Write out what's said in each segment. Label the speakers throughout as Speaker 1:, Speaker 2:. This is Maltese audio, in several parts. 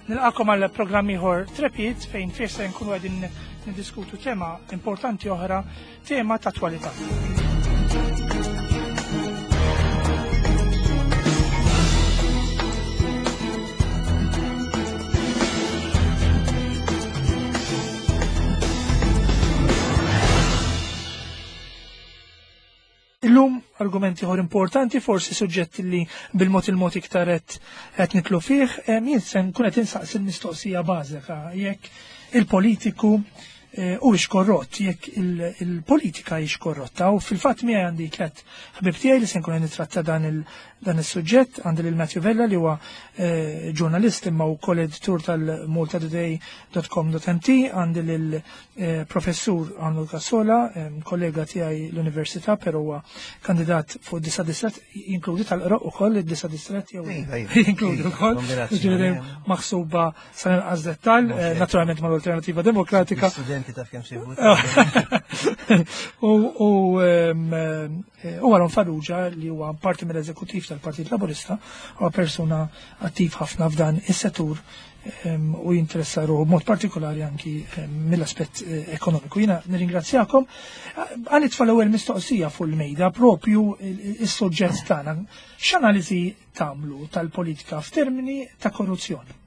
Speaker 1: Nilqakom għal programm ieħor Trepid fejn fih se nkunu qegħdin niddiskutu tema importanti oħra, tema ta' attwalità. Illum argumenti ieħor importanti, forsi suġġett li bil-mod il-mod iktar qed nitlu fih, jien se nkun qed insaqsi l-mistoqsija bażika jekk il-politiku eh, huwiex korrott, jekk il-politika hix korrotta. U fil-fatt miegħi għandi tliet ħbib tiegħi li se nkun qed nitratta dan dan is-suġġett, għandi lil Matthew Vella li huwa eh, ġurnalist imma wkoll editur tal-maltatoday.com.mt, għandi lil Eh, professur Arnold Cassola, kollega tiegħi l-Università, però huwa kandidat fuq disa distret, jinkludi tal-qroq ukoll id-disa distret jew
Speaker 2: iva, iva.
Speaker 1: jinkludi
Speaker 2: iva,
Speaker 1: wkoll, ġifieri maħsuba sa inqas dettall, eh, naturalment mal-Alternativa Demokratika.
Speaker 2: Studenti taf kemm sibu.
Speaker 1: U eh, Aaron Farrugia li huwa parti mill-eżekutiv tal-Partit Laburista, huwa persuna attiv ħafna f'dan is-settur u jinteressa ruħu b'mod partikolari anki mill-aspett eh, ekonomiku. Jiena nirringrazzjakom. Għan itfa' l-ewwel mistoqsija fuq il-mejda propju is-suġġett tagħna. X'analiżi tagħmlu tal-politika f'termini ta' korruzzjoni?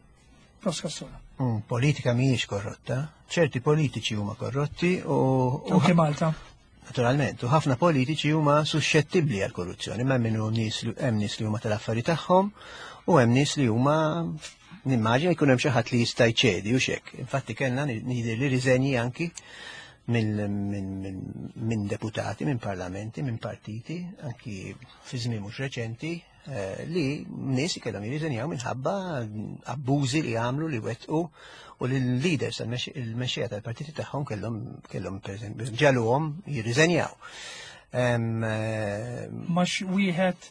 Speaker 1: Prof. Cassola.
Speaker 2: Mm, politika mhijiex korrotta, ċerti politiċi huma korrotti u
Speaker 1: Anke Malta.
Speaker 2: Naturalment, u ħafna politiċi huma suscettibbli għal korruzzjoni, ma minnu nies li hemm nies li huma tal-affari tagħhom u hemm nies li huma nimmaġina jkun hemm xi ħadd li jista' jċedi u xek. Infatti kellna nidher li riżenji anki minn deputati, minn parlamenti, minn partiti, anki fi żmien mhux reċenti, Eh, li nies kellhom jirriżenjaw minħabba abbużi li għamlu li wettqu u li l-leaders il-mexxejja tal-partiti tagħhom kellhom kellhom pereżempju ġaluhom jirriżenjaw.
Speaker 1: Eh, Max wieħed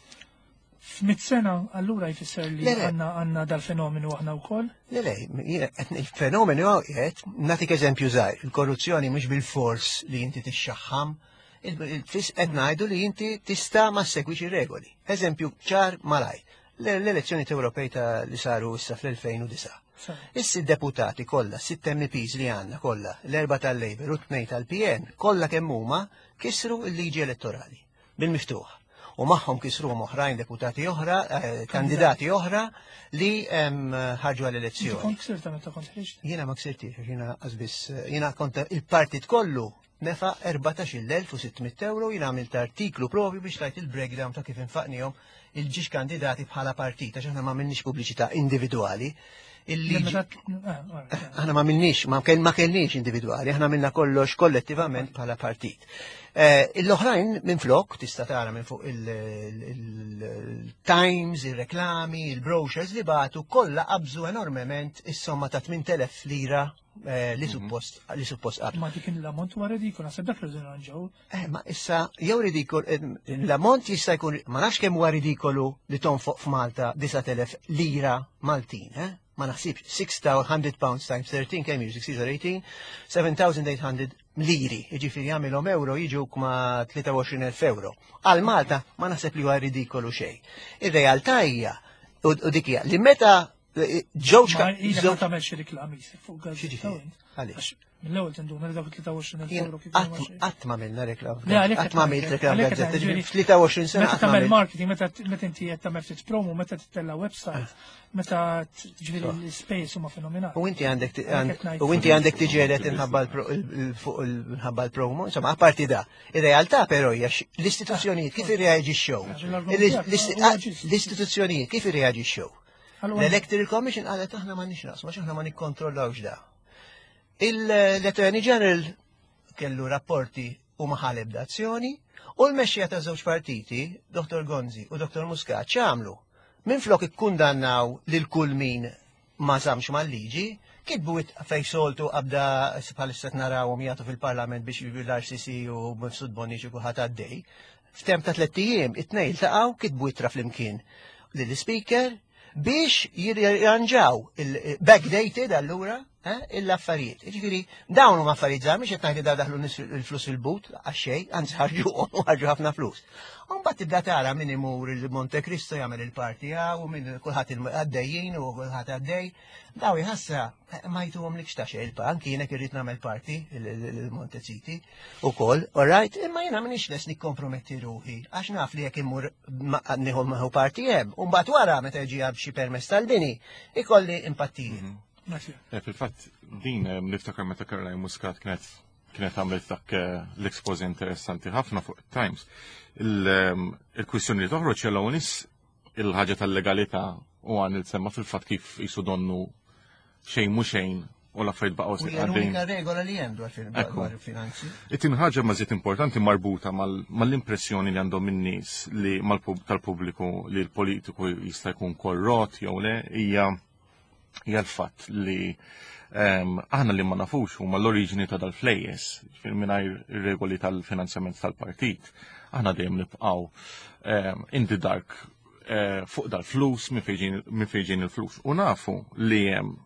Speaker 1: f'mit sena allura jfisser li għandna għandna dal-fenomenu aħna wkoll?
Speaker 2: Le, le, il-fenomenu qiegħed nagħtik eżempju żgħir, il-korruzzjoni mhux bil-fors li inti tixxaħħam Il-fis qed ngħidu li inti tista' ma segwix ir-regoli. Eżempju ċar malaj. L-elezzjoni Ewropej ta' li saru issa fl-2009. Issi deputati kollha, sitt MPs li għandna kollha, l-erba tal-Labour u tnejn tal-PN, kollha kemm huma kisru l-liġi elettorali bil-miftuħ. U magħhom kisruhom oħrajn deputati oħra, eh, kandidati oħra li ħarġu għall-elezzjoni.
Speaker 1: Kont ksirta meta kont ħriġt?
Speaker 2: Jiena ma ksirtix, jiena qasbis, jiena kont il-partit kollu Nefa 14,600 euro jien għamilt artiklu propju biex tajt il-breakdown ta' kif infaqnihom il-ġiex kandidati bħala partit, għax aħna ma għamilniex pubbliċità individwali. Il-liġi. Aħna ma għamilniex, ma kellniex individwali, aħna għamilna kollox kollettivament bħala partit. Eh, l-oħrajn minn flok, tista' tara minn fuq il-Times, il-reklami, il-brochures li batu, kollha qabżu enormement is-somma ta' 8,000 lira Eh, li mhm. suppost li suppost
Speaker 1: qabel. Ma dik l-ammont huwa ridikol, naħseb dak li nirranġaw.
Speaker 2: Eh, ma issa jew ridikol, eh, l-ammont jista' jkun ma nafx kemm huwa ridikolu li tonfoq f'Malta 9000 lira Maltin, eh? Ma naħsibx 600 pounds times 13 kemm jiġu 6 18, 7800 liri, jiġifieri jagħmilhom euro jiġu ma 23,000 euro. Għal Malta ma naħseb li huwa ridikolu xejn. Ir-realtà hija u dik hija li meta Ġewġ
Speaker 1: ka. Ma tagħmel xi reklami fuq
Speaker 2: gazzetta. Għaliex?
Speaker 1: Mill-ewwel tinduna li dawk 23 euro
Speaker 2: kif. Qatt ma minna reklam. Qatt ma għamilt reklam gazzetta. 23 sena.
Speaker 1: Meta tagħmel marketing, meta inti qed tagħmel ftit promo, meta tittella website, meta ġifieri l-space huma fenomenali.
Speaker 2: U inti għandek u inti għandek tiġelet inħabba l-promo, insomma, apparti da. Ir-realtà però hija l-istituzzjonijiet kif irreaġixxew. L-istituzzjonijiet kif irreaġixxew. L-Electoral Commission qalet aħna ma nix naqsmu, aħna ma nikkontrollawx da. L-Attorney General kellu rapporti u ma ħa l-ebda azzjoni u l-mexxija ta' żewġ partiti, Dr. Gonzi u Dr. Muscat, x'għamlu? Minflok ikkundannaw lil kull min ma żammx mal-liġi, kitbu fej soltu qabda bħalissa narawhom jagħtu fil-Parlament biex l-RCC u Mifsud Bonnici kulħadd għaddej. F'temp ta' tlett ijiem, it-tnejn iltaqgħu, kitbu ittra flimkien lill-Ispeaker biex jirranġaw il-backdated allura. l-affarijiet. Ġifieri dawn huma affarijiet żgħar mhux qed ngħid li daħlu nies il-flus il-but għax xejn, anzi ħarġu u ħarġu ħafna flus. U mbagħad tibda tara min imur il-Monte Cristo jagħmel il-parti u min kulħadd għaddejjin u kulħadd għaddej. Daw jħassa ma jtuhom likx ta' xejn, anki jiena irrid nagħmel parti il-Monte City ukoll, all right, imma jiena m'iniex les nikkomprometti ruħi għax naf li jekk immur nieħu maħu parti hemm, u mbagħad wara meta jiġi xi permess tal-bini, ikolli impattijiet.
Speaker 3: Fil-fatt din niftakar meta Caroline Muscat kienet għamlet dak l-expose interessanti ħafna fuq Times. Il-kwistjoni li toħroġ jella nies il-ħaġa tal-legalità u għan il-semma fil-fatt kif jisu donnu xejn mhu xejn u l-affarijiet baqgħu
Speaker 2: U hija l-unika regola li hemm dwar il-finanzi.
Speaker 3: It-tieni ħaġa ma żied importanti marbuta mal-impressjoni li għandhom in-nies li tal-pubbliku li l-politiku jista' jkun korrott jew le hija l-fatt li aħna li ma nafux huma l-oriġini ta' dal-flejjes, ġifieri mingħajr ir-regoli tal-finanzjament tal-partit. Aħna dejjem nibqgħu in the dark fuq dal-flus, minn fejn il-flus. U nafu li hemm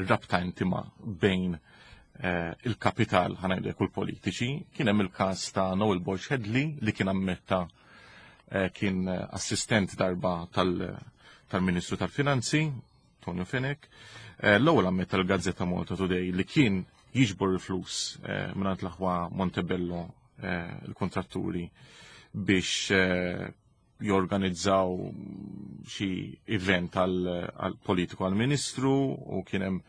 Speaker 3: rabta intima bejn il-kapital ħa ngħidlek u l-politiċi. Kien hemm il-każ ta' Noel Borg Hedley li kien ammetta kien assistent darba tal-Ministru tal-Finanzi, Tonio Fenech. L-ewwel ammetta l-Gazzetta Malta Today li kien jiġbor il-flus mingħand l-aħwa Montebello, il-kontratturi, biex jorganizzaw xi event għal politiku għal-ministru u kien hemm,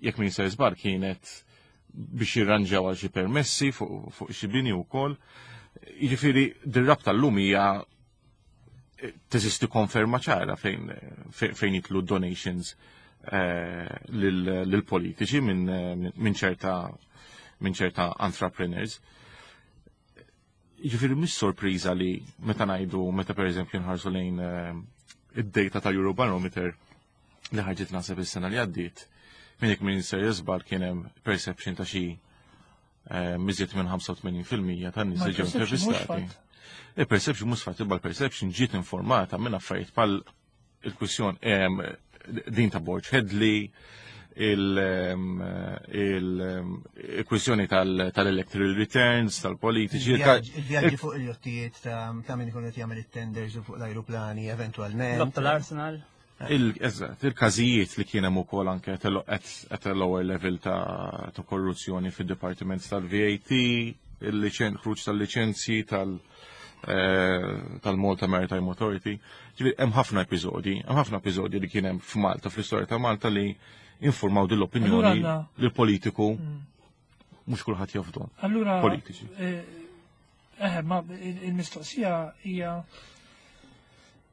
Speaker 3: jekk min se żbar, kienet biex jirranġaw għal xi permessi fuq xi bini wkoll. Jiġifieri dir-rabta llum hija teżisti konferma ċara fejn jidħlu donations lill-politiċi minn ċerta entrepreneurs. Ġifieri mhix sorpriża li meta ngħidu, meta pereżempju nħarsu lejn id-data ta' Eurobarometer li ħarġet naħseb is-sena li għaddiet, minn jekk min se jiżbal kien hemm perception ta' xi iżjed minn 85% tan-nies li ġew intervistati. Il-perception mhux fatt, imma l-perception ġiet informata minn affarijiet bħal il-kwissjon din ta' Borg Hedley, il-kwissjoni tal-electoral returns, tal-politiċi.
Speaker 2: Il-vjaġġi fuq il-jottijiet ta' min ikun qed jagħmel it-tenders u fuq l-ajruplani eventualment.
Speaker 4: Tal-Arsenal.
Speaker 3: Eżatt, il-każijiet li kien hemm ukoll anke at a lower level ta' korruzzjoni fid-dipartiment tal-VAT, il-ħruġ tal-liċenzji tal-Malta Maritime Authority. Ġifieri hemm ħafna episodji li kien hemm f'Malta, fl-istorja ta' Malta, li informaw din l-opinjoni li l-politiku mhux kulħadd jafdu.
Speaker 1: Allura
Speaker 3: politiċi.
Speaker 1: Ma il-mistoqsija hija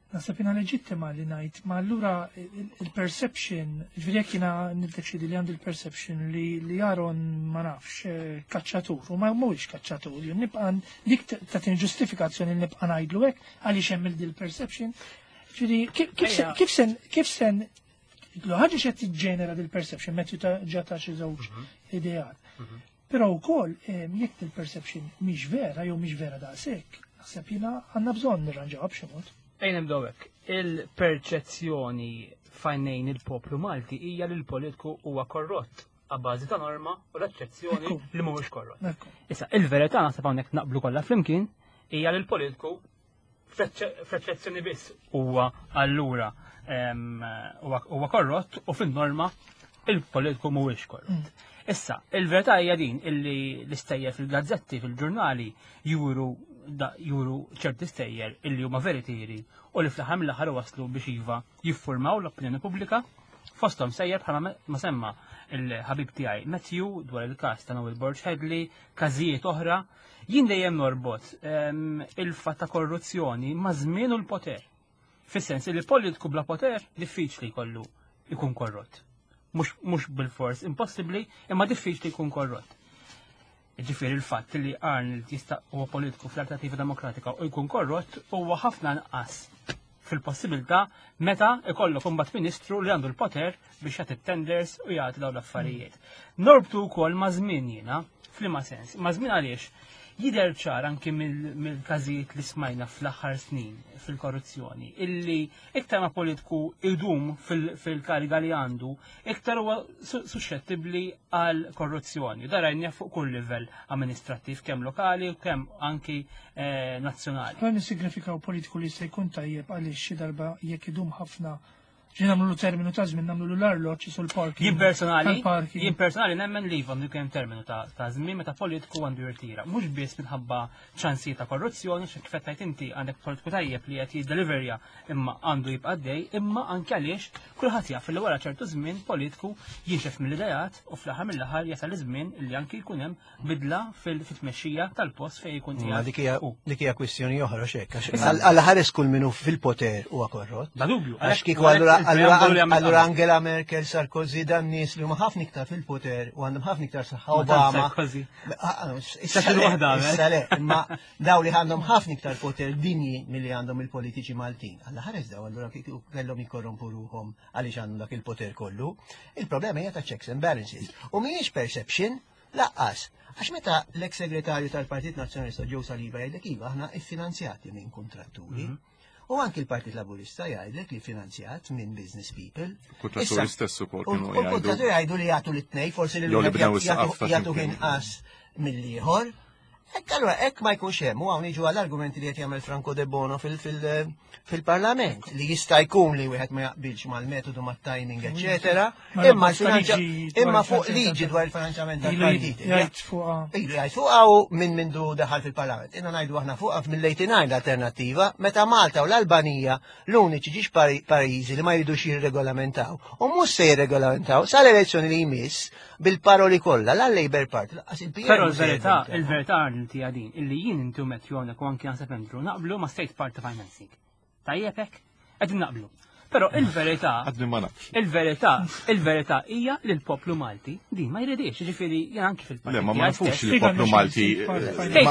Speaker 1: naħseb jiena leġittima li ngħid, ma allura il-perception, ġifieri jekk jiena niddeċidi li għandi il-perception li Aaron, ma nafx, kaċċatur, u ma mhuwiex kaċċatur, jien nibqa' dik tagħtini ġustifikazzjoni li nibqa' ngħidlu hekk għaliex hemm il-perception. Ġifieri kif sen l ħaġa xed tiġġenera dil-perception, Matthew ta' ġata xi żewġ ideat. Però wkoll jekk il-perception mhix vera jew mhix vera daqshekk, naħseb jiena għandna bżonn nirranġawha b'xi mod.
Speaker 4: Ejn nibdew hekk. Il-perċezzjoni f'għajnejn il-poplu Malti hija li l-politiku huwa korrott għabbażi ta' norma u l-eċċezzjoni li mhuwiex korrott. Issa, il-verità, naħseb hawnhekk naqblu kollha flimkien, hija li l-politiku fl-eċċezzjoni biss huwa allura huwa korrott u fin-norma il-politiku mhuwiex korrott. Issa, il-verità hija din illi l-istejjer fil-gazzetti, fil-ġurnali juru ċerti stejjer illi huma veritieri u li fl-aħħar mill-aħħar waslu biex iva jiffurmaw l-opinjoni pubblika, fosthom sejjer bħala ma semma il-ħabib tiegħi Matthew dwar il-każ ta' Noel Borg Hedley, każijiet oħra. Jien dejjem norbot il-fatt ta' korruzzjoni ma' żmien u l-poter. Fis-sens li politiku bla poter diffiċli jkollu jkun korrott. Mhux bil-fors impossibbli, imma diffiċli jkun korrott. Ġifieri il-fatt li Arnold jista' huwa politiku fl-Alternativa Demokratika u jkun korrott huwa ħafna nqas fil-possibilità meta ikollok imbagħad ministru li għandu l-poter biex jagħti tenders u jagħti dawn l-affarijiet. Norbtu wkoll ma' żmien jiena, f'liema sens? Ma' żmien għaliex? Jidher ċar anki mill-każijiet li smajna fl-aħħar snin fil-korruzzjoni illi iktar ma politiku idum fil-kariga li għandu, iktar huwa suxxettibbli għal korruzzjoni. Da rajna fuq kull livell amministrattiv, kemm lokali u kemm anki eh, nazzjonali.
Speaker 1: Dan jissignifikaw politiku li se jkun tajjeb għaliex xi darba jekk idum ħafna Ġi nagħmlu terminu ta' żmien nagħmlu l-arloġġ sul parking.
Speaker 4: Jien personali, jien personali nemmen li iva għandu jkun terminu ta' żmien meta politiku għandu jirtira. Mhux biss minħabba ċansijiet ta' korruzzjoni, xi kif qed inti għandek politiku tajjeb li qed jiddeliverja imma għandu jibqa' dej, imma anke għaliex kulħadd jaf li wara ċertu żmien politiku jinxef mill-idejat u fl-aħħar mill-aħħar jasal iż-żmien li anki jkun hemm bidla fil-tmexxija tal-post fejn jkun
Speaker 2: qiegħed. Dik hija dik hija kwistjoni oħra x'hekk għax Alla ħares kull minnu fil-poter huwa korrott.
Speaker 4: Da dubju.
Speaker 2: Għax kieku allura Angela Merkel, Sarkozy dan nies li huma ħafna iktar fil-poter u għandhom ħafna iktar saħħa Obama.
Speaker 4: Sarkozy.
Speaker 2: Ah, ah, issa le, imma daw li għandhom ħafna iktar poter dinji milli għandhom il-politiċi Maltin. Alla ħares daw allura kieku kellhom jikkorrompu ruħhom għaliex għandhom dak il-poter kollu. Il-problema hija ta' checks and balances. U mhijiex perception, Laqqas, għax meta l-eks segretarju tal-Partit Nazzjonalista Joe Saliba jgħidlek iva aħna iffinanzjati minn kontratturi. Mhm. U anki l-Partit Laburista jgħidlek li finanzjat minn business people.
Speaker 3: Kontratturi stess ukoll
Speaker 2: kienu jgħidu. Kontratturi jgħidu li jagħtu l-tnej, forsi li jagħtu inqas mill-ieħor. Hekk allura hekk ma jkunx hemm u hawn niġu għall-argumenti li qed jagħmel Franco De Bono fil-Parlament li jista' jkun li wieħed ma jaqbilx mal-metodu mat-timing, eċetera, imma imma fuq liġi dwar il-finanzjament tal-partiti.
Speaker 1: Jgħid fuqha.
Speaker 2: Ilu jgħid fuqha u minn mindu daħal fil-Parlament. Inna ngħidu aħna fuqha mill-89 l-alternattiva meta Malta u l-Albanija l-uniċi ġiex pajjiżi li ma jridux jirregolamentaw. U mhux se jirregolamentaw sal-elezzjoni li jmiss bil-paroli kollha la Labour Party laqas il-PN.
Speaker 4: Però l-verità, il-verità Arnold hija din, illi jien inti u Matthew hawnhekk u anki naħseb Andrew naqblu ma' state party financing. Tajjeb hekk? Qegħdin naqblu. Però il-verità.
Speaker 3: Għadni ma nafx.
Speaker 4: Il-verità, il-verità hija li l-poplu Malti din ma jridix, ġifieri jien anki fil-partit.
Speaker 3: Le, ma ma nafux li l-poplu Malti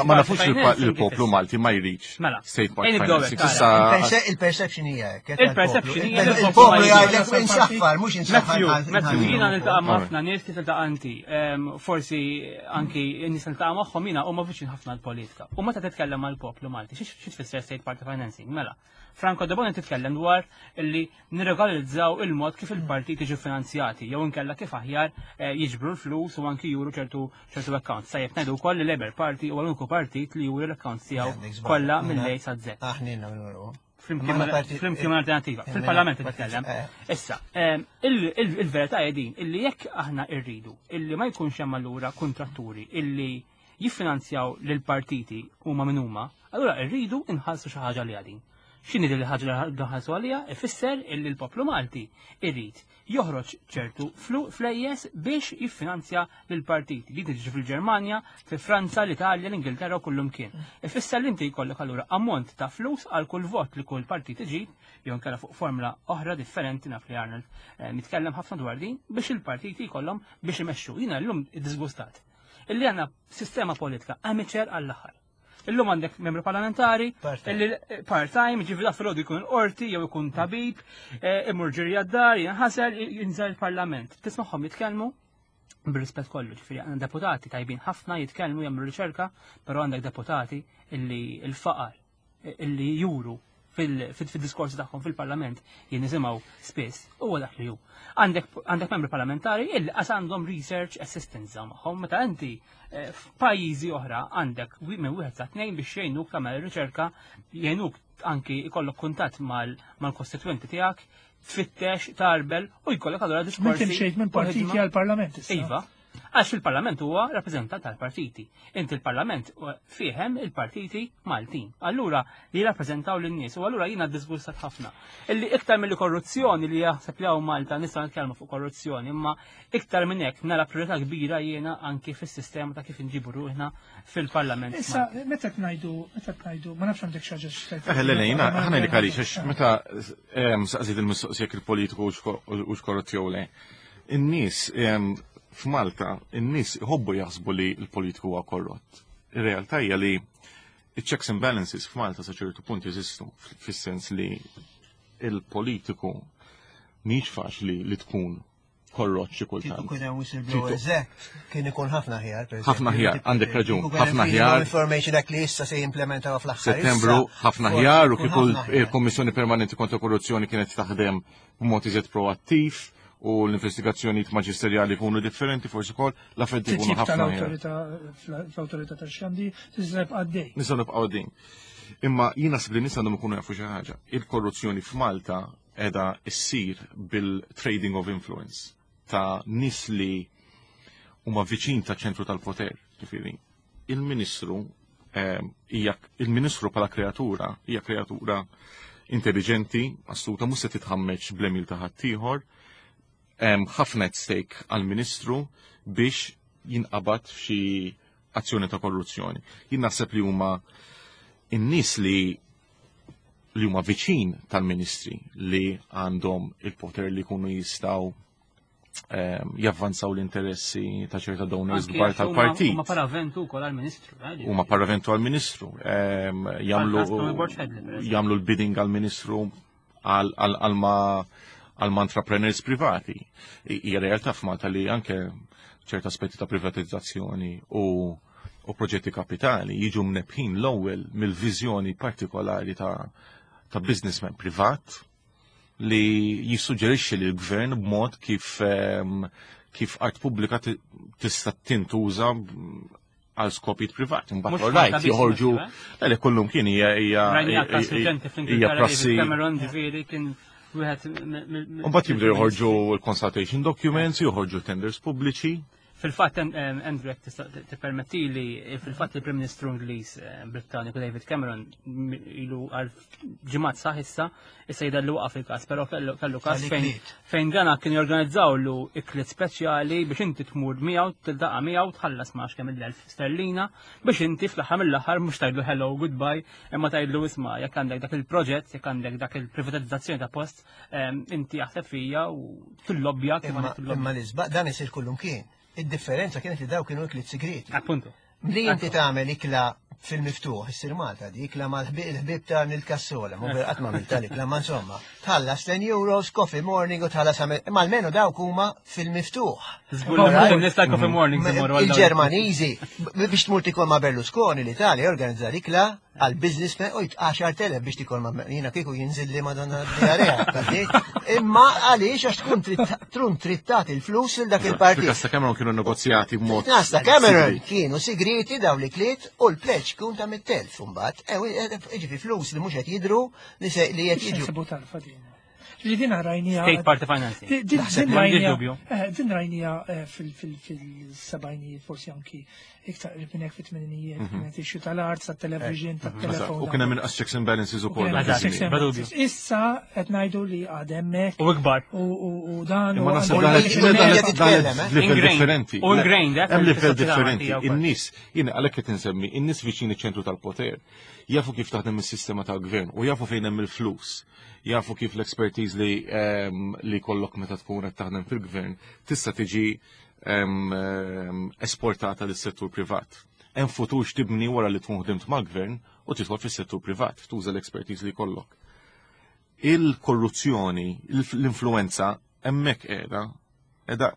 Speaker 3: ma nafux li l-poplu Malti ma jridx.
Speaker 4: Mela.
Speaker 3: State party financing.
Speaker 2: Il-perception hija hekk.
Speaker 4: Il-perception hija
Speaker 2: il-poplu jgħidlek insaffar, mhux insaffar.
Speaker 4: Matthew, jiena niltaqa' ma' ħafna nies kif tiltaqa' inti. Forsi anki nies niltaqa' magħhom jiena huma viċin ħafna l-politika. U meta titkellem mal-poplu Malti, xi tfisser state party financing? Mela, Franco De Bono titkellem dwar illi nirregolarizzaw il-mod kif il-partiti jiġu finanzjati jew inkella kif aħjar eh, jiġbru l-flus u anki juru ċertu ċertu accounts. Sajjeb ngħidu wkoll li Labour Party huwa l-uniku partit li juri l-accounts tiegħu kollha mill-A sa Z. Flimkien ma' alternativa. Fil-parlament titkellem. Eh. Issa, eh, il-verità hija din illi jekk aħna rridu illi ma jkunx hemm allura kontratturi illi jiffinanzjaw lill-partiti huma min huma, allura rridu nħallsu xi ħaġa għaliha din. X'inhi din il-ħaġa li nħallsu għaliha? Ifisser illi l-poplu Malti irid joħroġ ċertu flejjes biex jiffinanzja lill-partiti. Din tiġi fil-Ġermanja, fi Franza, l-Italja, l-Ingilterra u kullumkien. Ifisser li inti jkollok allura ammont ta' flus għal kull vot li kull partit iġib, jew inkella fuq formula oħra differenti naf li Arnold eh, mitkellem ħafna dwar din biex il-partiti jkollhom biex imexxu. Jiena llum iddisgustat illi għandna sistema politika amateur għall-aħħar. Illum għandek membru parlamentari, illi part-time, ġifi da filgħodu jkun il-qorti jew ikun tabib, eh, imur ġiri għad-dar, jinħasel, jinżel il-parlament. Tismagħhom jitkellmu bir-rispett kollu, ġifieri għandna deputati tajbin ħafna jitkellmu jagħmlu riċerka, però għandek deputati illi l-faqar illi juru fil-diskorsi tagħhom fil-Parlament jien nisimgħu spiss huwa dak li hu. Għandek membri parlamentari illi qas għandhom research assistance magħhom meta inti eh, f'pajjiżi oħra għandek minn wieħed sa tnejn biex jgħinuk tagħmel riċerka, jgħinuk anki jkollok kuntatt mal-kostitwenti tiegħek, tfittex, tarbel u jkollok allura diskorsi.
Speaker 1: Minn minn partiti għall-Parlament
Speaker 4: Iva, Għax il-Parlament huwa rappreżentant tal-partiti. Inti il-Parlament fihem il-partiti Maltin. Allura li jirrappreżentaw lin-nies u allura jiena disgustat ħafna. Illi iktar mill korruzzjoni li jaħseb li hawn Malta nistgħu nitkellmu fuq korruzzjoni, imma iktar minn hekk nara priorità kbira jiena anki fis-sistema ta' kif inġibu ruħna fil-Parlament.
Speaker 1: Issa, meta tnajdu, meta tnajdu, ma nafx għandek xi ħaġa x'tgħid.
Speaker 3: Eh, le, le, jiena ħa ngħidlek għaliex, għax meta saqsiet il-mistoqsija jekk il-politiku hux korrott jew le. In-nies f'Malta, in-nies iħobbu jaħsbu li l-politiku huwa korrott. Ir-realtà hija li checks and balances f'Malta sa ċertu punt jeżistu, fis-sens li il-politiku mhix faċli li tkun korrott xi kultant.
Speaker 2: Kieku kien hemm whistleblowers act, kien ikun ħafna aħjar.
Speaker 3: Ħafna aħjar, għandek raġun, ħafna aħjar.
Speaker 2: Information Act li issa se jimplementaw fl-aħħar.
Speaker 3: Settembru ħafna aħjar u kieku l-Kommissjoni Permanenti kontra Korruzzjoni kienet taħdem b'mod iżjed proattiv u l-investigazzjonijiet maġisterjali jkunu differenti forsi wkoll l-affarijiet ikunu ħafna
Speaker 1: aħjar. L-awtorità tax-xandi tista' nibqa' għaddej.
Speaker 3: Nistgħu nibqgħu għaddejn. Imma jien naħseb li nies għandhom ikunu jafu xi ħaġa. Il-korruzzjoni f'Malta qiegħda ssir bil-trading of influence ta' nies li huma viċin ta' ċentru tal-poter, ġifieri. Il-Ministru ehm, hija il-Ministru bħala kreatura hija kreatura intelligenti, astuta, mhux se titħammeġ bl-emil ta' ħaddieħor, hemm ħafna at stake għall-Ministru biex jinqabad f'xi azzjoni ta' korruzzjoni. Jien naħseb li huma in-nies li li huma viċin tal-ministri li għandhom il-poter li jkunu jistgħu ehm, javvanzaw l-interessi ta' ċerta donors kbar tal-partit.
Speaker 4: Huma paraventu wkoll għall-ministru.
Speaker 3: Eh, huma paraventu għall-ministru. Ehm, jagħmlu l-bidding għall-ministru għal ma għal entrepreneurs privati. Hija realtà f'Malta li anke ċerta aspetti ta' privatizzazzjoni u u proġetti kapitali jiġu mnebbħin l-ewwel mill-viżjoni partikolari ta' ta' businessman privat li jissuġġerixxi lil gvern b'mod kif ehm, kif art pubblika tista' tintuża għal skopijiet privati. Mbagħad all right joħorġu eh? le kullum kien hija hija
Speaker 4: hija prassi. Cameron ġifieri kien wieħed
Speaker 3: Mbagħad jibdew joħorġu l-consultation documents, joħorġu tenders pubbliċi.
Speaker 4: Fil-fatt, Andrew, jekk tista' tippermettili, fil-fatt il-Prim Ministru Ingliż eh, Brittaniku David Cameron ilu għal ġimgħat saħ issa, issa jidher li waqaf il-każ, però kellu każ fejn fejn dana kien jorganizzawlu ikliet speċjali biex inti tmur miegħu, tiltaqa' miegħu, tħallas ma kemm il-elf sterlina biex inti fl-aħħar mill-aħħar mhux tgħidlu hello goodbye, imma tgħidlu isma' jekk għandek dak il-proġett, jekk għandek dak il-privatizzazzjoni ta' post, inti jaħseb fija u tillobbja
Speaker 2: kif għandek tillobbja. Imma l-isbaq dan isir kullum kien. Id-differenza kienet li daw kienu ikliet segreti.
Speaker 4: Appuntu.
Speaker 2: Li inti tagħmel ikla fil-miftuħ, issir Malta di, ikla mal-ħbieb ta' nil-kassola, mu qatt ma għamilt ikla, ma insomma, tħallas 10 euros, coffee morning u tħallas għamil, imma almenu dawk huma fil-miftuħ.
Speaker 4: Nista' coffee morning.
Speaker 2: Il-Ġermaniżi, biex tmur tikol ma' Berlusconi, l-Italja organizza ikla għal businessman u 10,000 biex tikol ma' jiena kieku jinżilli madonna diarea. Imma għaliex għax tkun trun trittat il-flus il dak il-partit.
Speaker 3: Fil-kas Cameron kienu negozjati b'mod.
Speaker 2: Fil-kas Cameron kienu sigriti daw li kliet u l-pleċ kun ta' mit-telf imbagħad. E, e, jiġifieri flus li mhux qed jidru li li qed jiġu.
Speaker 1: Ġifieri din rajnija.
Speaker 4: State Party Financing.
Speaker 1: Din rajnija. Eh, din rajnija eh, fil-sebajnijiet, forsi anki iktar qrib minn hekk fit-tmeninijiet, mhm. kienet issue tal-art, tat-television, mhm. tat-telefon.
Speaker 3: U kien hemm inqas checks and balances ukoll.
Speaker 1: Issa qed ngħidu li għad hemmhekk.
Speaker 4: U ikbar.
Speaker 1: U dan.
Speaker 3: Imma naħseb dan eh? livell differenti.
Speaker 4: U ingrained,
Speaker 3: eh, Hemm livell differenti. In-nies, jien għalhekk qed insemmi, in-nies viċin iċ-ċentru tal-poter jafu kif taħdem is-sistema tal-gvern u jafu fejn hemm il-flus jafu kif l-expertise li ehm, li kollok meta tkun qed taħdem fil-gvern tista' tiġi ehm, ehm, esportata lis-settur privat. Hemm futur x'tibni wara li tkun ħdimt mal-gvern u tidħol fis-settur privat, tuża l-expertise li kollok. Il-korruzzjoni, l-influenza hemmhekk qiegħda, qiegħda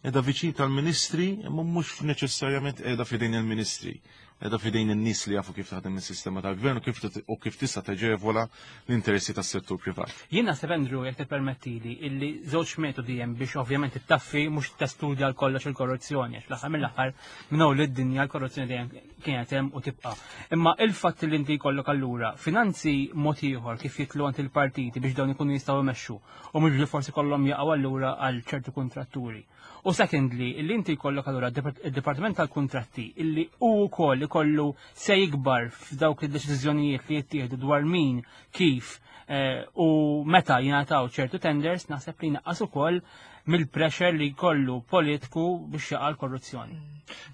Speaker 3: Edha viċin tal-ministri, imma mhux neċessarjament qiegħda f'idejn il-ministri. Qiegħda f'idejn in-nies li jafu kif taħdem is-sistema tal-gvern u kif u kif tista' teġevola l-interessi tas-settur privat.
Speaker 4: Jien naħseb Andrew jekk tippermettili illi żewġ metodi hemm biex ovvjament ittaffi mhux testudja l kollox il-korruzzjoni għax fl-aħħar mill-aħħar minn hawn lid-dinja l-korruzzjoni dejjem kienet hemm u tibqa'. Imma il-fatt li inti jkollok allura finanzi mod ieħor kif jitlu għand il-partiti biex dawn ikunu jistgħu jmexxu u mhux li forsi kollhom jaqgħu allura għal ċertu kuntratturi. U secondly, illi inti jkollok allura id-Dipartiment tal-Kuntratti illi hu wkoll ikollu se jikbar f'dawk id-deċiżjonijiet li jittieħdu dwar min, kif eh, u meta jingħataw ċertu tenders, naħseb li naqqas ukoll mill-pressure li jkollu politiku biex jaqa' l-korruzzjoni.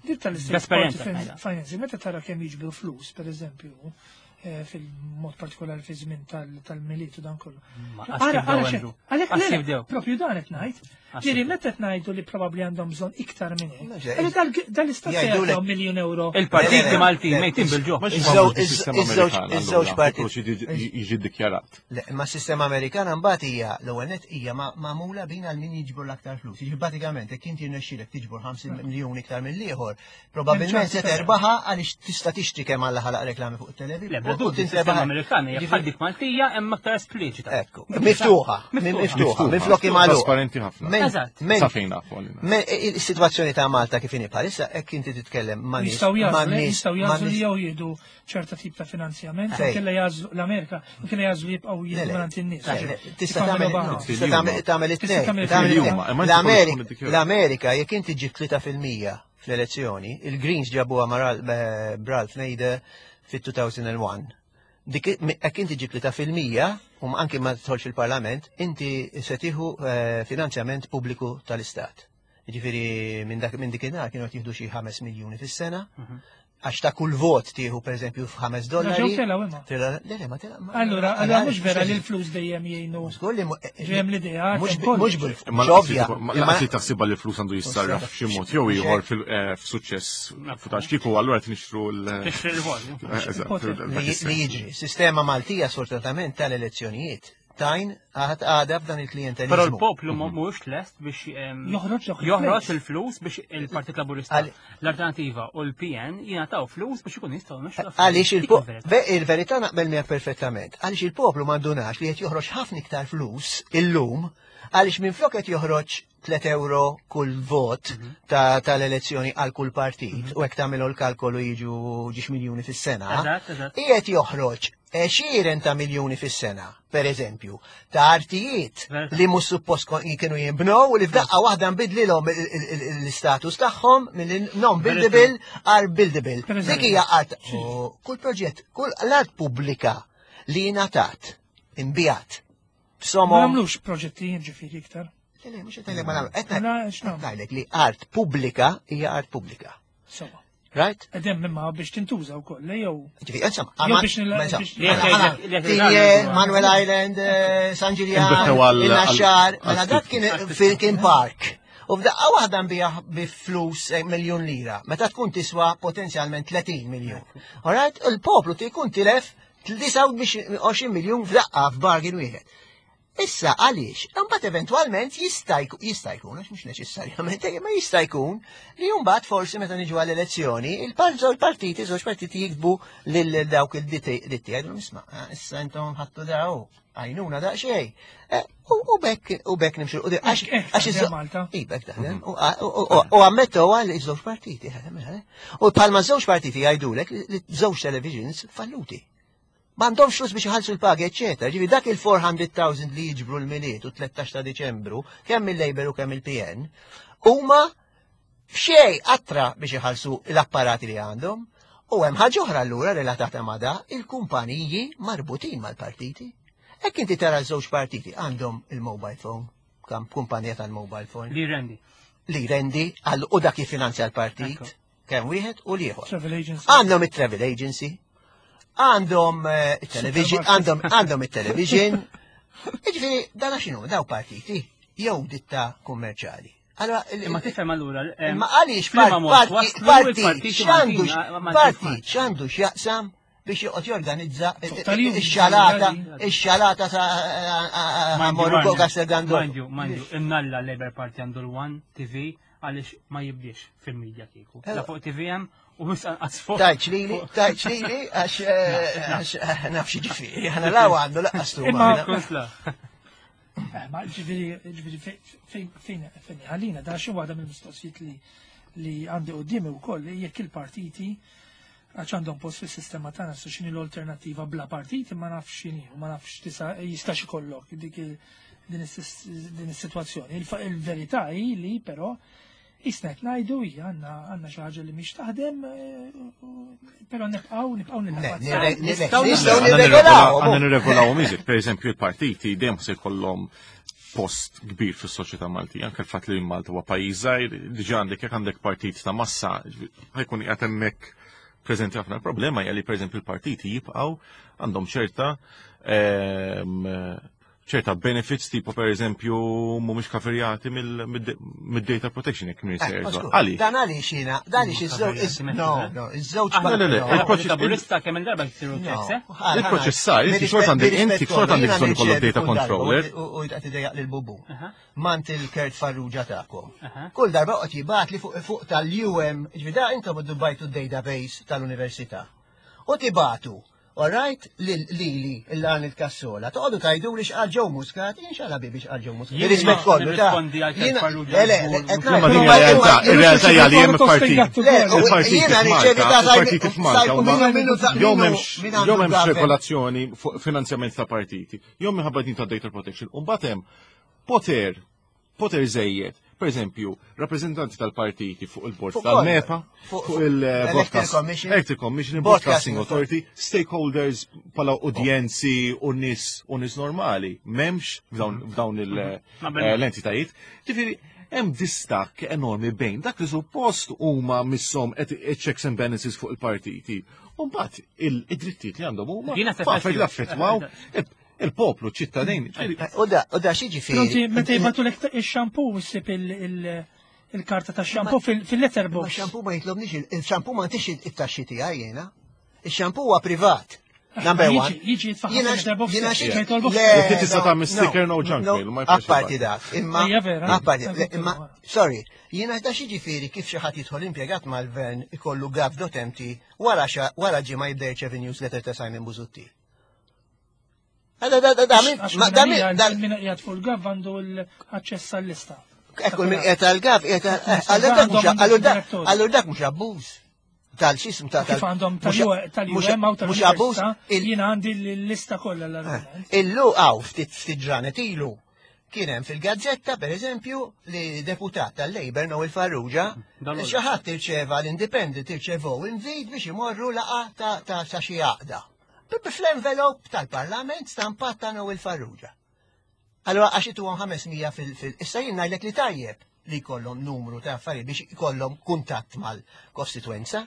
Speaker 1: Dik tal-istat financing, meta tara kemm jiġbru flus, per eżempju, Fil-mod partikolari fi żmien tal-Milied u dan kollu.
Speaker 4: Għalhekk
Speaker 1: propju dan qed ngħid. Ġieli meta qed ngħidu li probabbli għandhom bżonn iktar minn hekk. Dal-istat jagħtihom miljun euro.
Speaker 4: Il-partiti Maltin mejtin bil-ġuħ.
Speaker 2: Iż-żewġ
Speaker 3: partiti jiġi ddikjarat.
Speaker 2: Imma s-sistema Amerikana mbagħad hija l-ewwel net hija magħmula bin għal min jiġbor l-aktar flus. Jiġi pratikament jekk inti rnexxielek tiġbor 50 miljun iktar mill-ieħor, Probabilment se terbaħa għaliex tista' tixtri kemm Alla ħalaq reklami fuq it-television.
Speaker 4: Le, bla dubju, is-sistema Amerikana hija bħal dik Maltija hemm aktar espliċita.
Speaker 2: Ekku, miftuħa, miftuħa, minflok imagħluqa.
Speaker 3: Trasparenti ħafna.
Speaker 4: Eżatt.
Speaker 3: Sa fejn nafu għalina.
Speaker 2: Is-sitwazzjoni ta' Malta kif inhi bħalissa hekk inti titkellem ma' nies.
Speaker 1: Jistgħu jagħżlu, jistgħu jagħżlu li jew jieħdu ċerta tip ta' finanzjament, kella jagħżlu l-Amerika, kella jagħżlu jibqgħu jieħdu mingħand in-nies.
Speaker 2: Tista' tagħmel tagħmel it-tnejn. L-Amerika jekk inti ġib 3% fl-elezzjoni, il-Greens ġabuha ma' Ralph Nader fit-2001. Dik jekk inti ġib 3% u anki ma tidħolx il-Parlament, inti se tieħu finanzjament pubbliku tal-Istat. Jiġifieri minn dak minn dikinhar kienu qed jieħdu xi 5 miljuni fis-sena. Għax ta' kull vot tieħu pereżempju f'ħames dollari.
Speaker 1: Ġew telgħu imma.
Speaker 2: Le, le, ma telgħu.
Speaker 1: Allura, allura mhux vera li l-flus dejjem jgħinu.
Speaker 2: Żgur li
Speaker 1: Ġejjem l-idea.
Speaker 2: Mhux
Speaker 3: bil-ovvja. Ma li taħsibha li l-flus għandu jissarraf f'xi mod jew ieħor f'suċċess f'tax kieku allura qed nixtru l.
Speaker 4: Tixtri l-vot.
Speaker 2: Li jiġri. Sistema Maltija sfortunatament tal-elezzjonijiet tajn għad għada f'dan il-klientelizmu.
Speaker 4: Però l-poplu mhuwiex lest biex
Speaker 1: joħroġ
Speaker 4: joħroġ il-flus biex il-Partit Laburista l-Alternativa u l-PN jingħataw flus biex ikun jistgħu jmexxu.
Speaker 2: Għaliex il-verità naqbel miegħek perfettament. Għaliex il-poplu m'għandunax li qed joħroġ ħafna iktar flus illum għaliex minflok qed joħroġ 3 euro kull vot mhm. tal-elezzjoni għal kull partit mhm. u hekk tagħmlu l-kalkolu jiġu ġiex miljuni fis-sena. Qiegħed joħroġ għexieren ta' miljuni fis-sena, per eżempju, ta' artijiet li mhux suppost kienu jinbnew u li f'daqqa waħda nbidlilhom l-istatus tagħhom minn non-buildable għal buildable. Dik hija art. Kull proġett, kull l-art pubblika li ngħatat, imbijat.
Speaker 1: Ma nagħmlux proġetti ġifieri iktar.
Speaker 2: Le, le, mhux qed ma nagħmlu. Qed ngħidlek li art pubblika hija art pubblika.
Speaker 1: Sewa.
Speaker 2: Right?
Speaker 1: Edem imma biex tintuża wkoll, jew.
Speaker 2: Ġifi, insomma, biex Manuel Island, eh, San Ġiljan, il-Naxxar, mela dak kien kien park. U f'daqqa waħda nbija bi flus eh, miljun lira, meta tkun tiswa potenzjalment 30 miljun. Alright, il-poplu jkun tilef 29 miljun f'daqqa f'bargain wieħed. Issa għaliex, imbagħad eventwalment jista' jista' jkun, għax mhux neċessarjament, ma jista' jkun li mbagħad forsi meta niġu għall-elezzjoni, il-partiti, żewġ partiti jiktbu lil dawk il-ditti jgħidu nisma' ah, issa intom ħattu daw, għajnuna daqsxejn. Eh, u bekk u bekk nimxu
Speaker 1: għax għax Malta.
Speaker 2: I bekk taħdem. U ammettu għal iż-żewġ partiti. Eh. U bħalma żewġ partiti jgħidulek li żewġ televisions falluti. M'għandhomx flus biex iħallsu l-pagi, eċċetera. Ġifieri dak il-400,000 li jiġbru l-Milied u 13 ta' Diċembru, kemm il-Labour u kemm il-PN, huma f'xejn qatra biex iħallsu l-apparati li għandhom. U hemm ħaġa oħra allura relatata ma' da, il-kumpaniji marbutin mal-partiti. Hekk inti tara żewġ partiti għandhom il-mobile phone, kumpanija tal-mobile phone.
Speaker 4: Li rendi.
Speaker 2: Li rendi għal u dak jiffinanzja l-partit. Kemm wieħed u l-ieħor.
Speaker 1: Travel agency.
Speaker 2: Għandhom it-travel agency, għandhom eh, il-television, għandhom għandhom it-television. Jiġifieri dan x'inhu daw partiti jew ditta kummerċjali.
Speaker 4: Allora, imma tifhem allura.
Speaker 2: Eh, imma għaliex partit x'għandu partit x'għandu x'jaqsam biex joqgħod jorganizza ix-xalata, ix-xalata ta' Morru Castel Gandolfo.
Speaker 4: Mandju, mandju, imnalla Labour Party għandu l-One TV għaliex ma jibdiex fil-medja kieku. La fuq TVM u mhux anqas fuq.
Speaker 2: Tajċ lili, tajċ lili, għax eh, nafx ġifieri, aħna law għandu laqqas tu.
Speaker 1: Imma eh, Ma ġifieri, ġifieri fejn fejn ħallina da xi waħda mill-mistoqsijiet li li għandi qudiemi wkoll jekk il-partiti għax għandhom post fis-sistema tagħna su x'inhi l-alternattiva bla partiti ma nafx x'inhi u ma nafx tisa jistax ikollok dik din is-sitwazzjoni. Il-verità hi li però jisna qed ngħidu hija għandna għandna xi ħaġa li mhix taħdem, eh, però nibqgħu nibqgħu
Speaker 2: nilagħbu. Nistgħu nirregolaw.
Speaker 3: Għandna nirregolaw miżik, pereżempju il-partiti dejjem se jkollhom post kbir fis-soċjetà Maltija, anke l-fatt li Malta huwa pajjiż żgħir, diġà għandek jekk għandek partit ta' massa, ħajkun qiegħed hemmhekk. preżenti ħafna. Il-problema hija li pereżempju l-partiti jibqgħu għandhom ċerta ċerta benefits tipo per eżempju mhumiex kaferjati mid-data protection jekk minn
Speaker 2: eh, Għali. Dan għaliex jiena, dan għaliex iż-żewġ no, no, iż-żewġ
Speaker 3: Le, le,
Speaker 4: il-proċess laburista kemm il-darba jsiru checks, eh?
Speaker 3: Il-proċessar, inti xorta għandek inti xorta għandek bżonn ikollok data controller.
Speaker 2: U jtaqt idejjaq lil bubu. Mant il-Kurt Farrugia tagħkom. Kull darba qed jibgħat li fuq tal-UM, ġvida intom iddubajtu d-database tal-università. U tibatu Alright, lili, l-għan il-kassola, toqgħodu tajdu li xqal ġew Muscat, jien xala bibi xqal ġew Muscat. Rispett kollu ta'
Speaker 3: Le, le, Ir-realtà hija li hemm partit.
Speaker 2: Jiena riċevi ta'
Speaker 3: partiti f'Malta. Jew m'hemmx regolazzjoni fuq finanzjament ta' partiti, jew minħabba din ta' data protection. U mbagħad hemm poter poter żejjed. Per eżempju, rappreżentanti tal-partiti fuq il-bord tal-MEPA, fuq il-Broadcast Electric Commission, Broadcasting Authority, stakeholders pala udjenzi u nis u nis normali, memx f'dawn l-entitajiet. Ġifieri, hemm distakk enormi bejn dak li suppost huma misshom checks and balances fuq il-partiti. U mbagħad id-drittijiet li għandhom huma li affettwaw il-poplu, ċittadin.
Speaker 2: U da, u da xi ġifieri.
Speaker 1: Meta jibatu lek ix-xampu ssib il-karta ta' xampu fil-letterbox.
Speaker 2: Xampu ma jitlobniex, il-xampu ma ntix it-taxxi tiegħi jiena. Il-xampu huwa privat. Number one.
Speaker 1: Jiġi jitfaħ fil-letterbox.
Speaker 2: Jiena xi
Speaker 3: Jekk tista' tagħmel sticker no junk mail, ma
Speaker 2: Apparti dak, imma. Apparti, imma, sorry, jiena da xi ġifieri kif xi ħadd jidħol impjegat mal-gvern ikollu gov.mt wara wara ġimgħa jibda jirċevi newsletter ta' Simon Busuttil.
Speaker 1: Min qiegħed fuq il-gav għandu l-aċċess għall-lista.
Speaker 2: Ekku min qiegħed għall-gav qiegħed allura dak mhux abbuż tal-xism ta'
Speaker 1: kif għandhom tal-UM għaw tal abbuż. Jiena għandi l-lista kollha l-argument.
Speaker 2: Eh, illu għaw ftit ftit ġranet ilu kien hemm fil-gazzetta pereżempju li deputat tal-Labour Noel Farrugia xi ħadd irċeva l-Independent irċevow invit biex imorru laqa ta' xi għaqda. Fl-envelop tal-Parlament stampat ta' Noel Farrugia. Allora għax ituhom 500 fil-fil. Issa jien ngħidlek li tajjeb li jkollhom numru ta' affarijiet biex ikollhom kuntatt mal-kostitwenza,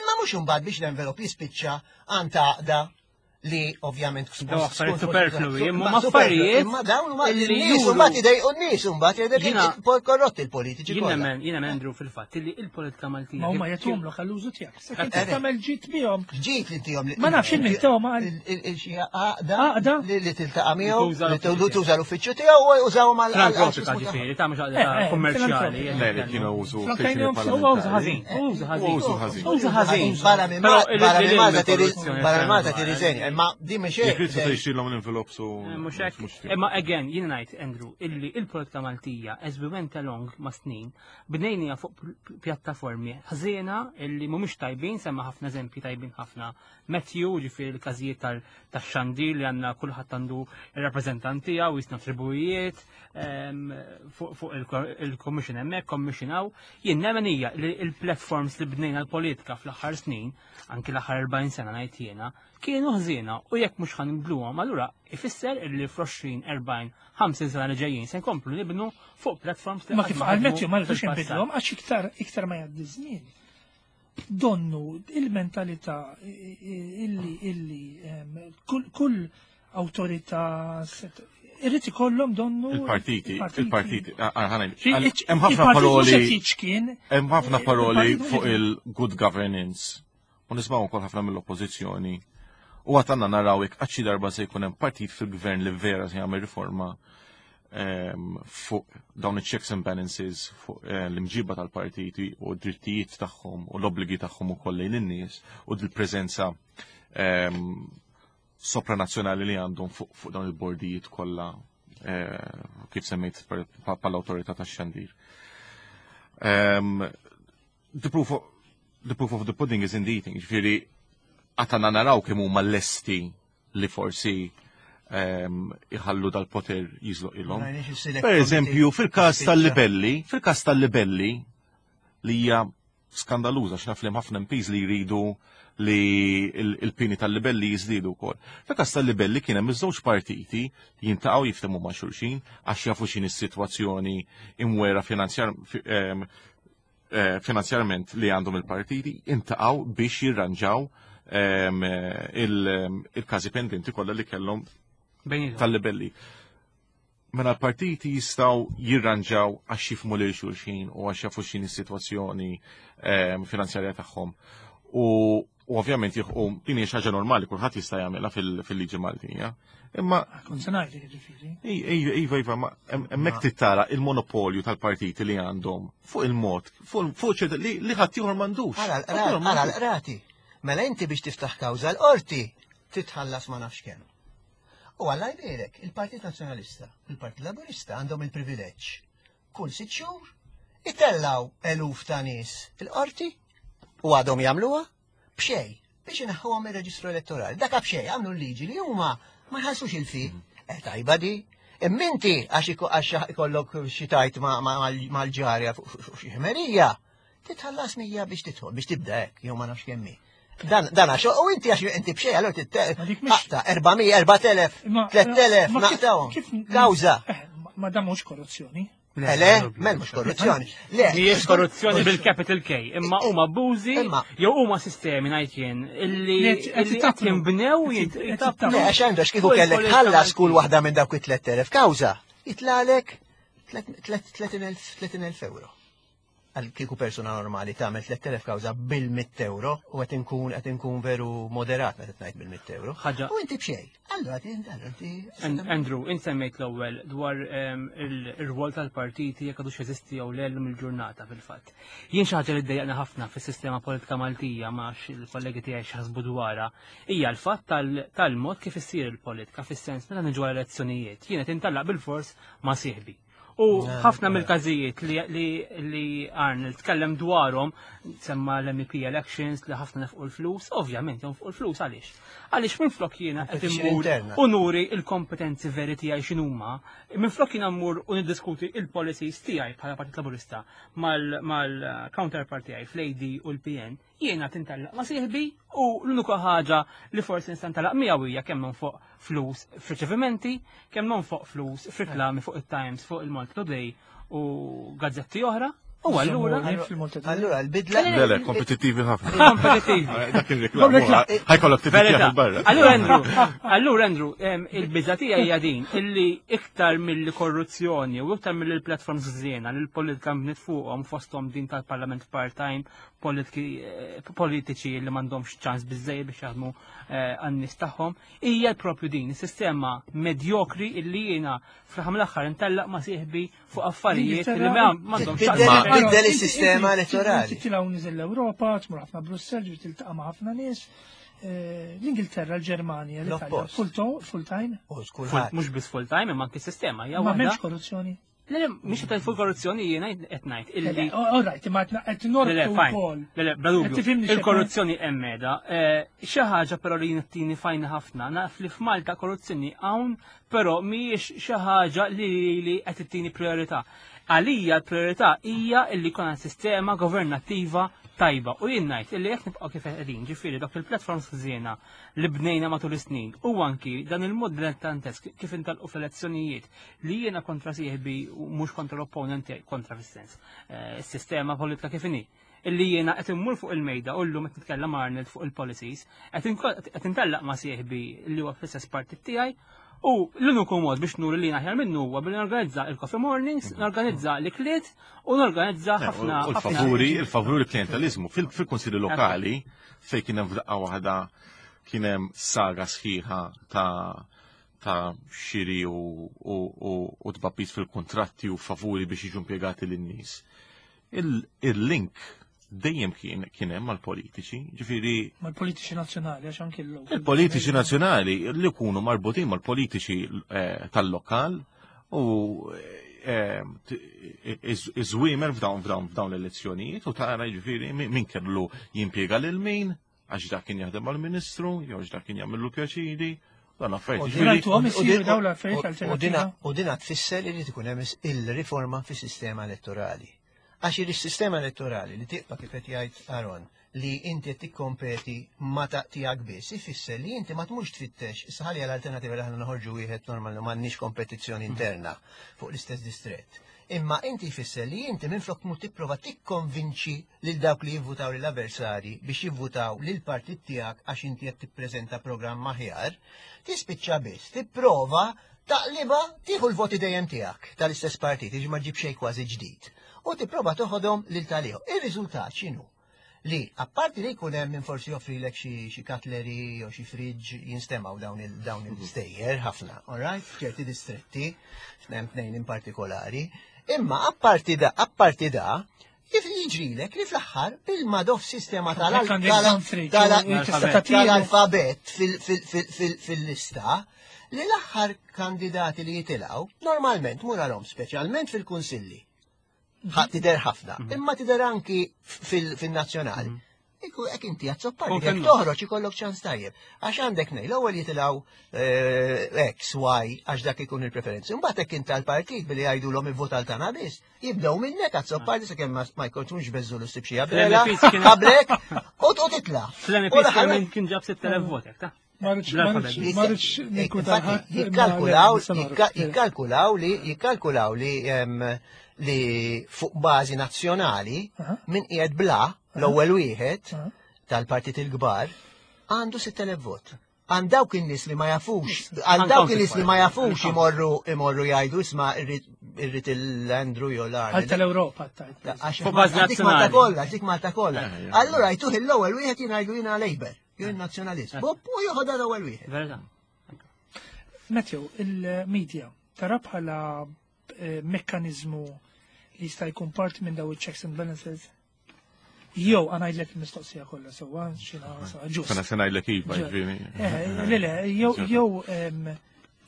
Speaker 2: imma mhux imbagħad biex l-envelop jispiċċa għand għaqda li ovvjament
Speaker 4: Daw affarijiet superflui, imma affarijiet.
Speaker 2: Imma dawn huma n-nies u mbagħad idejqu n-nies u mbagħad jgħidlek korrotti l-politiċi.
Speaker 4: Jiena men, Andrew fil-fatt li il-politika Maltija.
Speaker 1: Ma huma jagħtuhomlok għall-użu tiegħek. Qed tagħmel ġid bihom.
Speaker 2: Ġid li tihom.
Speaker 1: Ma nafx il tehom
Speaker 2: għal. Xi għaqda li tiltaqa' miegħu, li tuża l-uffiċċju tiegħu u użawhom għal.
Speaker 4: Filantropika ġifieri, ta' mhux għaqda eh, eh, kummerċjali.
Speaker 3: Le, li kienu użu.
Speaker 4: Użu ħażin, użu ħażin.
Speaker 3: Użu ħażin.
Speaker 4: Użu ħażin.
Speaker 2: Barra minn Malta barra minn Malta tirriżenja, imma din mhix
Speaker 3: hekk. Jekk trid tixtrilhom l-envelopes u.
Speaker 4: Eh, mhux hekk. Imma again, jien ngħid Andrew, illi il-politika Maltija as we went along ma' snin, Bnejniha fuq pjattaformi ħżiena illi mhumiex tajbin, semma ħafna eżempji tajbin ħafna. Matthew, ġifieri l-każijiet tax-xandir li għandna kulħadd għandu ir-rappreżentant tiegħu jisna tribujiet ehm, fuq il-commission hemmhekk, commission hawn. Jien nemmen hija li l-platforms li bnejna l-politika fl-aħħar snin, anki l-aħħar 40 sena ngħid jiena, kienu ħżiena u jekk mhux ħanibdluhom allura ifisser illi fl-20, 40, 50 sena li ġejjin se nkomplu nibnu fuq platforms
Speaker 1: li Ma kif qal Matthew ma rridux inbidluhom għax iktar iktar ma jgħaddi żmien. Donnu il-mentalità illi illi kull awtorità irrid ikollhom donnu
Speaker 3: il-partiti il-partiti hemm ħafna paroli hemm ħafna paroli fuq il-good governance u nismgħu wkoll ħafna mill-oppożizzjoni. U għad għandna naraw jekk qatt xi darba se jkun hemm partit fil-gvern li vera se jagħmel riforma ehm, fuq dawn iċ-checks and balances fuq eh, l-imġiba tal-partiti u d-drittijiet tagħhom u l-obbligi tagħhom ukoll lejn in-nies u l-preżenza ehm, sopranazzjonali li għandhom fuq dawn il-bordijiet kollha eh, kif semmejt pal-awtorità tax-xandir. Ehm, the proof of, the proof of the pudding is in the eating, ġifieri għatana naraw kemm huma lesti li forsi ehm, iħallu dal-poter jizloq ilhom. Per eżempju, fil-każ tal-libelli, fil-każ tal-libelli li hija skandaluża x'naf li ħafna MPs li jridu li il-pini tal-libelli jiżdiedu wkoll. Fil-każ tal-libelli kien hemm iż-żewġ partiti jintaqgħu jiftehmu ma' xulxin għax jafu x'inhi s-sitwazzjoni imwera finanzjar ehm, finanzjarment li għandhom il-partiti intaqgħu biex jirranġaw il-każi pendenti kollha li kellhom tal-libelli. Mela l-partiti jistgħu jirranġaw għax jifmu lil xulxin u għax jafu x'inhi s-sitwazzjoni finanzjarja tagħhom. U ovvjament jieħu din hija xi ħaġa normali kulħadd jista' jagħmilha fil-liġi Maltija. Imma
Speaker 1: Kont se ngħidlek jiġifieri.
Speaker 3: Iva, iva, ma hemmhekk tittara il-monopolju tal-partiti li għandhom fuq il-mod, fuq ċerta li ħadd ieħor m'għandux.
Speaker 2: Ara l-qrati. Mela inti biex tiftaħ kawża l-qorti titħallas ma nafx kemm. U Alla jbierek, il-Partit Nazzjonalista, il-Partit Laburista għandhom il-privileġġ. Kull sitt xhur itellaw eluf ta' nies il-qorti u għadhom jagħmluha b'xejn biex inaħħuhom ir-reġistru elettorali. Dak b'xejn għamlu l-liġi li huma ma jħallsux il-fi. Eh, tajba di. Imminti għax ikollok xi tajt mal-ġarja fuq xi ħmerija, titħallas 100 biex tidħol, biex tibda hekk, jew ma nafx kemm hi. Dan għax, u inti għax inti b'xejn, allura taqta' 400, 4000, 3000, naqtawhom. Kawża.
Speaker 1: Eh, ma dan mhux korruzzjoni.
Speaker 2: Le, le, mel mhux korruzzjoni. Le.
Speaker 4: Mhijiex korruzzjoni bil-capital K, imma huma abbużi jew huma sistemi ngħid jien illi qed jinbnew
Speaker 2: Le, għax għandu kieku kellek ħallas kull waħda minn dawk it-3000 kawża, jitlalek 30,000 euro. Għal kieku persuna normali tagħmel 3000 kawża bil-100 euro u qed inkun qed inkun veru moderat meta ngħid bil-100 euro. U inti b'xejn. Allura inti
Speaker 4: Andrew, int semmejt l-ewwel dwar ir-rwol tal-partiti jekk għadux jeżisti jew le llum il-ġurnata fil-fatt. Jien xi ħaġa li ddejjaqni ħafna fis-sistema politika Maltija ma il-kollegi tiegħi x'ħasbu dwarha hija l-fatt tal-mod kif issir il-politika fis-sens meta niġu għal elezzjonijiet. Jien qed intallaq bil-fors ma' sieħbi. U ħafna mill-każijiet li Arnold tkellem dwarhom, semma l-MEP elections li ħafna nefqu l-flus, ovvjament jonfqu l-flus għaliex. Għaliex minflok jiena qed immur u nuri l-kompetenzi veri tiegħi x'inhuma, minflok jiena mmur u niddiskuti il-policies tiegħi bħala Partit Laburista mal-counterpart tiegħi fl-AD u l-PN, Jiena tintellaq ma' sieħbi u l-unika ħaġa li forsi nista' ntalaq miegħu hija kemm nonfoq flus f'riċevimenti, kemm nonfoq flus f'riklami fuq it-Times, fuq il-Malta Today u gazzetti oħra. U allura.
Speaker 2: Allura l-bidla.
Speaker 3: Le, le, kompetittivi ħafna.
Speaker 4: Kompetittivi.
Speaker 3: Dak il-reklam. Ħajkollok tifittieħ barra.
Speaker 4: Allura Andrew, allura Andrew, il-biża tiegħi hija din illi iktar milli korruzzjoni u iktar milli l-platforms żiena li l-politika bniet fuqhom fosthom din tal-Parlament part-time politiċi li m'għandhomx ċans biżejjed biex jaħdmu eh, għan-nies tagħhom, hija propju din is-sistema medjokri illi jiena fl-aħħar mill-aħħar intellaq ma' sieħbi fuq affarijiet li m'għandhomx
Speaker 2: Biddel is-sistema elettorali.
Speaker 1: Tilgħu niżel l-Ewropa, tmur ħafna Brussell, ġifieri tiltaqa' ma' ħafna nies. Eh, L-Ingilterra, l-Ġermanja, l-Italja, full time?
Speaker 4: Mhux biss full time, imma anke sistema.
Speaker 1: Ma m'hemmx korruzzjoni.
Speaker 4: Le, le, mhix qed fuq korruzzjoni jiena qed ngħid
Speaker 1: illi. All right, imma qed nortu wkoll.
Speaker 4: Le, le, bla dubju. Il-korruzzjoni hemm qiegħda. Eh, xi ħaġa però li jiena fajna ħafna, naf li f'Malta korruzzjoni hawn, però mhijiex xi ħaġa li li qed ittini priorità. Għalija l-priorità hija illi jkollna sistema governattiva tajba u jien ngħid illi jekk nibqgħu kif qegħdin, ġifieri dawk il-platforms ħżiena li bnejna matul is-snin u anki dan il-mod dilettantesk kif intalqu fl-elezzjonijiet li jiena kontra sieħbi u mhux kontra l-opponent tiegħi, kontra fis-sens, eh, is-sistema politika kif inhi illi jiena qed immur fuq il-mejda u llum qed nitkellem Arnold fuq il-policies, qed intellaq ma' sieħbi li huwa fl-istess partit tiegħi u l-uniku mod biex nuri li aħjar minnu huwa billi norganizza il-coffee mornings, mhm. norganizza l-ikliet u norganizza eh, ħafna.
Speaker 3: U l-favuri, il-favuri klientalizmu fil-konsilli lokali fejn kien hemm f'daqqa waħda kien hemm saga sħiħa ta' ta' xiri u tbabbis fil-kuntratti u favuri biex jiġu impjegati lin-nies. Il-link dejjem kien kien hemm mal-politiċi, ġifieri.
Speaker 1: Mal-politiċi nazzjonali għax anki l
Speaker 3: Il-politiċi nazzjonali li jkunu marbutin mal-politiċi eh, tal-lokal u eh, iż-żwiemer f'dawn f'dawn f'dawn l-elezzjonijiet u tara ġifieri min kellu jimpjega lil min għax dak kien jaħdem mal-ministru, jew għax dak kien jagħmillu pjaċiri, dan affarijiet.
Speaker 2: U dina tfisser li tkun hemm il-riforma fis-sistema elettorali. Għax il-sistema elettorali li tibqa' kif qed jgħid Aaron li inti qed tikkompeti ma ta' tiegħek biss, ifisser li inti ma tmurx tfittex, issa ħalli l-alternativa li aħna noħorġu wieħed normali m'għandniex kompetizzjoni interna fuq l-istess distrett. Imma inti jfisser li inti minflok tmur tipprova tikkonvinċi lil dawk li jivvutaw lil avversari biex jivvutaw lil partit tiegħek għax inti qed tippreżenta programm aħjar, tispiċċa biss tipprova taqliba tieħu l-voti dejjem tiegħek tal-istess partit, jiġi ma ġib xejn kważi ġdid, u tipprova toħodhom lil tal-ieħor. Ir-riżultat x'inhu? Li apparti li jkun hemm min forsi joffrilek xi cutlery jew xi fridge jinstemgħu dawn il dawn il-stejjer ħafna, all right? F'ċerti distretti, hemm tnejn in partikolari. Imma apparti da, apparti da, jiġrilek li fl-aħħar bil-madoff sistema tal-alfabet fil-lista li l-aħħar kandidati li jitilgħu normalment muralhom speċjalment fil-kunsilli Tidher ħafna, mhm. imma tidher anki fil-nazzjonal. Mhm. Iku hekk inti għazzoppar, jekk toħroġ ikollok ċans tajjeb. Għax għandek nej, l-ewwel jitilgħu eh, X, Y, għax dak ikun il-preferenzi. Mbagħad hekk inta l-partit billi jgħidulhom ivvota l tagħna biss, jibdew minnek għazzoppar sakemm ma jkunx beżżu l xi abrela, qablek u titla'.
Speaker 4: Fl-MPs kien ġab 6000 votek, ta'
Speaker 2: Jikkalkulaw, jikkalkulaw li, jikkalkulaw li li fuq bażi nazzjonali minn qiegħed bla l-ewwel wieħed tal-partit il-kbar għandu 6000 vot. Għand dawk in-nies li ma jafux, għal dawk in-nies li ma jafux imorru imorru jgħidu isma' irrid il-Andrew jew l-Arnold.
Speaker 1: Għal tal-Ewropa tajt.
Speaker 2: Fuq bażi nazzjonali. Dik Malta kollha, dik Malta kollha. Allura jtuh l-ewwel wieħed jingħidu jiena Labour. Jien nazzjonalist. Eh. Bob u joħodha l-ewwel wieħed.
Speaker 4: Verità.
Speaker 1: Matthew, il-media tara bħala eh, mekkaniżmu li jista' jkun parti minn daw il-checks and balances? Jew għanajdlek il-mistoqsija kollha sewwa xina ġust.
Speaker 3: Sena se ngħidlek iva, ġifieri.
Speaker 1: Eh, le le, jew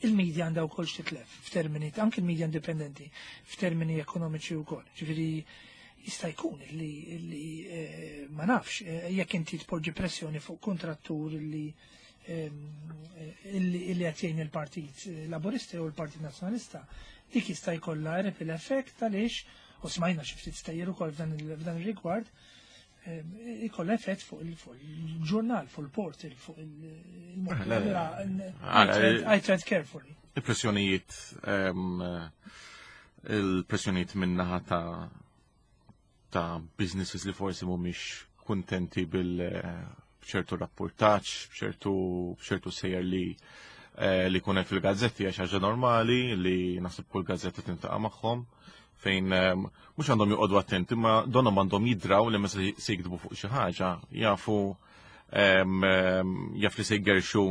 Speaker 1: il-media għandha wkoll x'titlef f'termini anke il-media indipendenti f'termini ekonomiċi wkoll. Ġifieri jista' jkun li, li eh, ma nafx eh, jekk inti tpoġġi pressjoni fuq kontrattur li ehm, eh, illi qed jgħin il-Partit Laburista jew il-Partit Nazzjonalista, dik jista' jkollha ripple effect għaliex u smajna xi ftit stejjer ukoll f'dan ir-rigward, ikolla effett fuq il-ġurnal, fuq il-portal, fuq il-mod. I tread carefully.
Speaker 3: Il-pressjonijiet il-pressjonijiet minnaħa ta' ta' businesses li forsi mhumiex kuntenti bil ċertu rapportaġġ, b'ċertu b'ċertu sejjer li eh, li kunem fil-gazzetti għax ħaġa normali li naħseb kull gazzetta tintaqa' magħhom fejn ehm, mhux għandhom joqogħdu attenti, ma donhom għandhom jidraw li meta se jiktbu fuq xi ħaġa jafu ehm, ehm, jaf li se jgerxu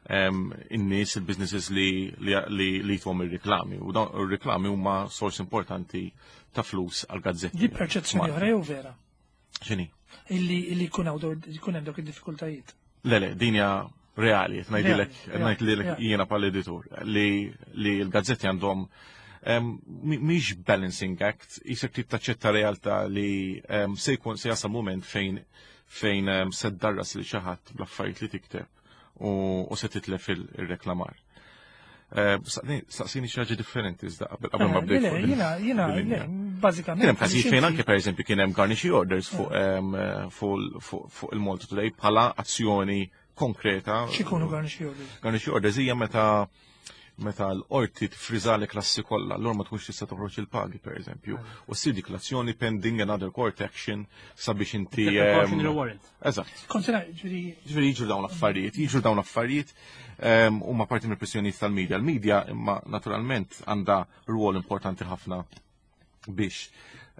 Speaker 3: in-nies il-businesses li li li jithom ir-riklami u dawn ir-riklami huma sors importanti ta' flus għal gazzetti.
Speaker 1: Di perċezzjoni oħra jew vera?
Speaker 3: X'inhi?
Speaker 1: Illi illi jkun hawn jkun hemm dawk id-diffikultajiet.
Speaker 3: Le le, din hija reali, qed ngħidilek ngħidlek jiena bħala editur li li l-gazzetti għandhom mhix balancing act, jisek trid taċċetta realtà li se jkun se jasal moment fejn fejn se ddarras li xi ħadd bl-affarijiet li tikteb u se titlef il-reklamar. Eh, saqsini xi ħaġa differenti iżda qabel ma eh, bdejt.
Speaker 1: Jiena, jiena, bażikament.
Speaker 3: Kien hemm każijiet fejn anke pereżempju kien hemm garnishee orders fuq eh. fuq il-Malta Today bħala azzjoni konkreta.
Speaker 1: X'ikunu garnishee orders?
Speaker 3: Garnishee orders hija meta meta l-qorti tfriżalek l-assi kollha, allura ma tkunx tista' toħroġ il-pagi pereżempju. U ssir dik l-azzjoni pending another court action sabiex inti.
Speaker 4: Ehm,
Speaker 3: eżatt.
Speaker 1: Ġifieri
Speaker 3: jiġru dawn l-affarijiet, jiġru dawn l-affarijiet ehm, huma parti mill-pressjonijiet tal-medja. Il-medja imma naturalment għandha rwol importanti ħafna biex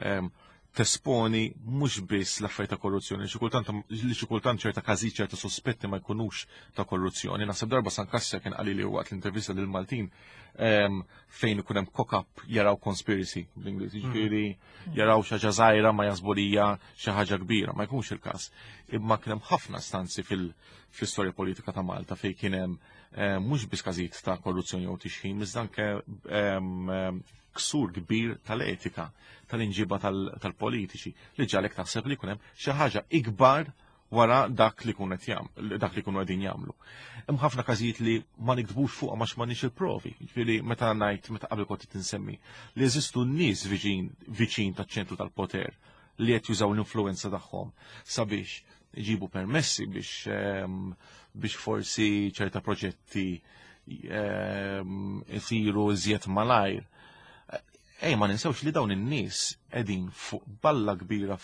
Speaker 3: ehm, tesponi mhux biss l-affarijiet ta' korruzzjoni, xi kultant li xi kultant ċerta każijiet ċerta sospetti ma jkunux ta' korruzzjoni. Naħseb darba San Kassja kien qali li waqt l-intervista lil Maltin ehm, fejn ikun hemm cock-up jaraw conspiracy bl-Ingliż, hmm. jiġifieri jaraw xi ħaġa żgħira ma jaħsbu li hija xi ħaġa kbira, ma jkunx il-każ. Imma kien hemm ħafna stanzi fil-istorja politika ta' Malta fejn kien hemm eh, mhux biss każijiet ta' korruzzjoni jew tixħim, iżda anke ehm, ksur kbir tal-etika, tal-inġiba tal-politiċi, li ġalek taħseb li jkun hemm xi ħaġa ikbar wara dak li kun qed dak li kunu qegħdin jagħmlu. Hemm ħafna każijiet li ma niktbux fuqha għax m'għandniex il-provi. Ġifieri meta ngħid meta qabel kont tinsemmi li jeżistu nies viċin viċin taċ-ċentru tal-poter li qed jużaw l-influenza tagħhom sabiex iġibu permessi biex ehm, biex forsi ċerta proġetti ehm, isiru iżjed malajr. Ej, ma ninsewx li dawn in-nies qegħdin fuq balla kbira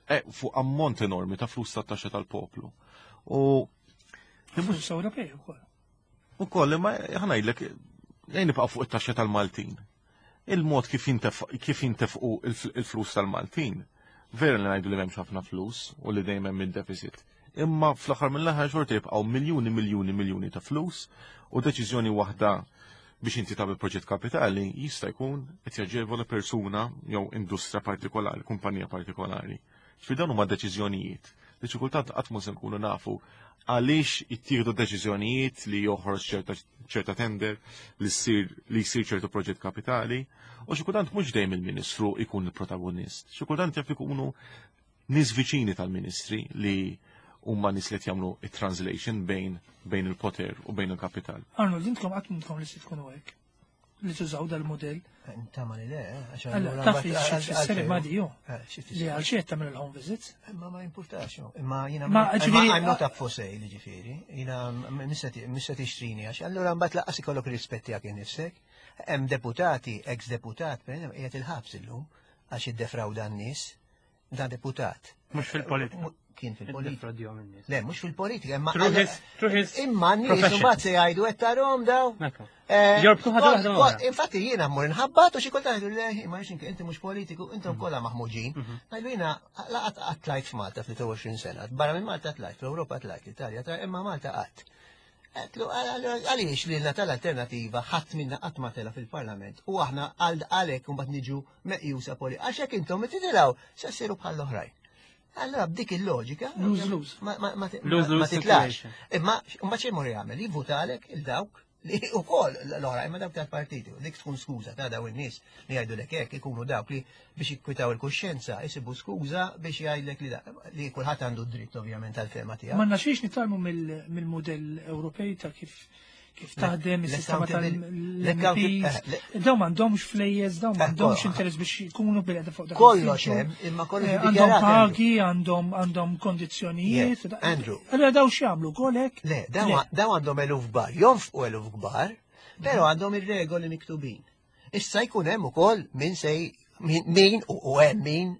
Speaker 3: eh, fuq ammont enormi ta' flus tat-taxxa tal-poplu. U
Speaker 1: Flus Ewropej ukoll.
Speaker 3: Ukoll, imma ħanajdlek, ejn nibqa' fuq it-taxxa tal-Maltin. Il-mod kif jintefqu il-flus tal-Maltin, vera li ngħidu li m'hemmx ħafna flus u li dejjem hemm id-deficit. Imma fl-aħħar mill-aħħar xorta jibqgħu miljuni, miljuni, miljuni ta' flus u deċiżjoni waħda biex inti tagħmel proġett kapitali jista' jkun qed jaġevola persuna jew industrija partikolari, kumpanija partikolari. Ġifieri dawn huma deċiżjonijiet li xi kultant qatt mhu se nkunu nafu għaliex jittieħdu deċiżjonijiet li joħroġ ċerta tender li ssir li jsir ċertu proġett kapitali u xi kultant mhux dejjem il-Ministru jkun il-protagonist. Xi kultant jaf ikunu nies viċini tal-Ministri li huma nies li qed jagħmlu it-translation bejn bejn il-poter u bejn il-kapital.
Speaker 1: Arnold, intkom qatt m'intkom li se tkunu hekk li tużaw dal-modell.
Speaker 2: Tama li le, eh, għax
Speaker 1: Allora, taf li xi tfisser imma di ju.
Speaker 2: Eh,
Speaker 1: Li għal xi qed tagħmel il-home visits.
Speaker 2: Imma ma jimpurtax, imma jiena
Speaker 1: Ma, ġifieri-
Speaker 2: I'm not up for sale, ġifieri. Jiena mista tixtrini għax allura mbagħad laqqas ikollok rispett tiegħek innifsek. Hemm deputati, ex-deputat, per eżempju, qiegħed il-ħabs illum għax iddefrawda n-nies. Dan deputat.
Speaker 4: Mhux fil-politika.
Speaker 2: Kien fil-politika.
Speaker 4: Iddefrodjhom in-nies.
Speaker 2: Le, mhux fil-politika, imma
Speaker 4: Through his
Speaker 2: imma n-nies
Speaker 4: profession.
Speaker 2: imbagħad se jgħidu qed tarhom daw.
Speaker 4: Ekku.
Speaker 2: Eh,
Speaker 4: Jorbtu ħaġa waħda oħra.
Speaker 2: Infatti jiena mmur nħabbat u xi kultant jgħidu le, ma nix inti mhux politiku, intom kollha maħmuġin. Ngħidu jiena laqat qatt tlajt f'Malta fl-23 sena, barra minn Malta tlajt, fl-Ewropa tlajt, l-Italja tlajt, imma Malta qatt. Għedtlu, għaliex li l tal-alternativa ħadd minna qatt ma tela fil-Parlament u aħna għal għalhekk mbagħad niġu meqjusa poli. Għax hekk intom titilgħu se ssiru bħall-oħrajn. Allora b'dik il-loġika
Speaker 1: Lose-lose.
Speaker 4: Lose-lose
Speaker 2: ma titlax.
Speaker 4: situation.
Speaker 2: Imma mbagħad xejn mur jagħmel, jivvutalek il-dawk li ukoll l-oħra imma dawk tal-partiti, dik tkun skuża ta' daw in-nies li jgħidu lek hekk ikunu dawk li biex jikkwitaw il-kuxjenza jsibu skuża biex jgħidlek li li kulħadd għandu dritt ovvjament tal-fehma tiegħu.
Speaker 1: Ma naxiex nitgħallmu mill-modell Ewropej ta' kif taħdem is-sistema tal-MPs. Daw m'għandhomx flejjes, daw m'għandhomx interess biex jkunu bil fuq dak
Speaker 2: Kollox hemm, imma kollox
Speaker 1: Għandhom pagi, għandhom kondizzjonijiet.
Speaker 2: Andrew.
Speaker 1: Allora daw x'jagħmlu kolek?
Speaker 2: Le, daw għandhom eluf kbar, jonfqu eluf kbar, però għandhom ir-regoli miktubin. Issa jkun hemm ukoll min sej min u hemm min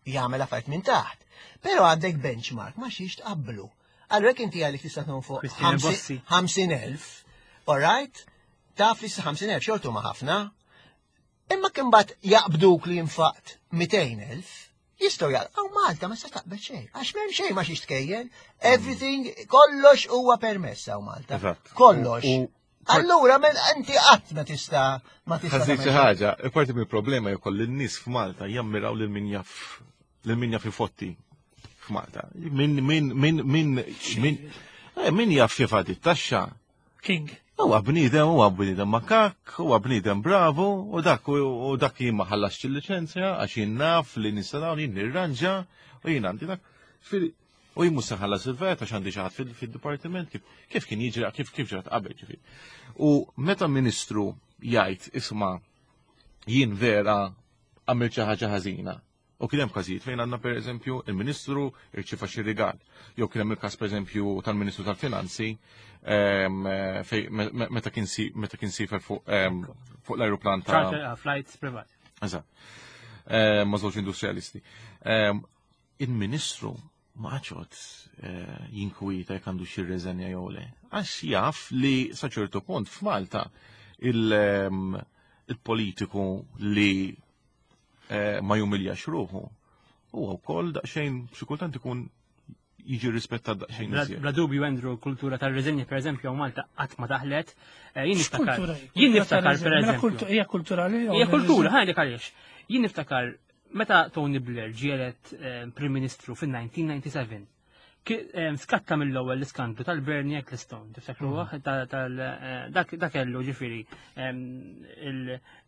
Speaker 2: jagħmel affarijiet minn taħt. Però għandek benchmark ma xiex tqabblu. Allura jekk inti għalik tista' fuq 50,000, all right? Taf li 50,000 xortu ma ħafna. Imma kien bat jaqbduk li infaqt 200,000, jistgħu jgħal, aw Malta ma se taqbel xejn, għax m'hemm xejn ma xiex tkejjel, everything, kollox huwa permess hawn Malta. Kollox. Allura, men inti qatt ma tista' ma tista'
Speaker 3: Ħa nżid xi ħaġa, parti mill-problema jkoll lin-nies f'Malta jammiraw lil min jaf ifotti f'Malta. Min min min min min min jaf jevadi t-taxxa.
Speaker 1: King.
Speaker 3: Huwa bniedem, huwa bniedem makak, huwa bniedem bravu, u dak jien ma ħallasx il-liċenzja għax jien naf li nista' dawn jien nirranġa u jien għandi dak. U jien mhux se nħallas il-VAT għax għandi xi ħadd fid-dipartiment kif kien jiġri kif ġrat qabel ġifieri. U meta ministru jgħid isma' jien vera għamilt xi ħaġa ħażina. U kien hemm każijiet fejn għandna pereżempju il-Ministru irċieva xi rigal. Jew kien hemm il-każ pereżempju tal-Ministru tal-Finanzi fej meta kien siefer fuq l-ajruplan ta'
Speaker 4: Charter flights privat.
Speaker 3: Eżatt. Ma' żewġ industrialisti. Il-Ministru ma għadx jinkwieta jekk għandu xi reżenja jew le. Għax jaf li sa ċertu punt f'Malta il-politiku li ma jumiljax ruħu huwa wkoll daqsxejn xi kultant ikun jiġi rispettat daqsxejn iżjed.
Speaker 4: Bla dubju, Andrew, kultura tal-reżenja, per eżempju, Malta qatt ma daħlet. Jien niftakar.
Speaker 1: X'kultura hi?
Speaker 4: Jien niftakar, per
Speaker 1: Mela
Speaker 4: eżempju.
Speaker 1: Hija kulturali?
Speaker 4: Hija kultura, ħa ngħidlek għaliex. Jien niftakar meta Tony Blair ġie elett Prim Ministru fin-1997. Skatta mill-ewwel l-iskandlu tal-Bernie Ecclestone, tiftakruha? Dak kellu ġifieri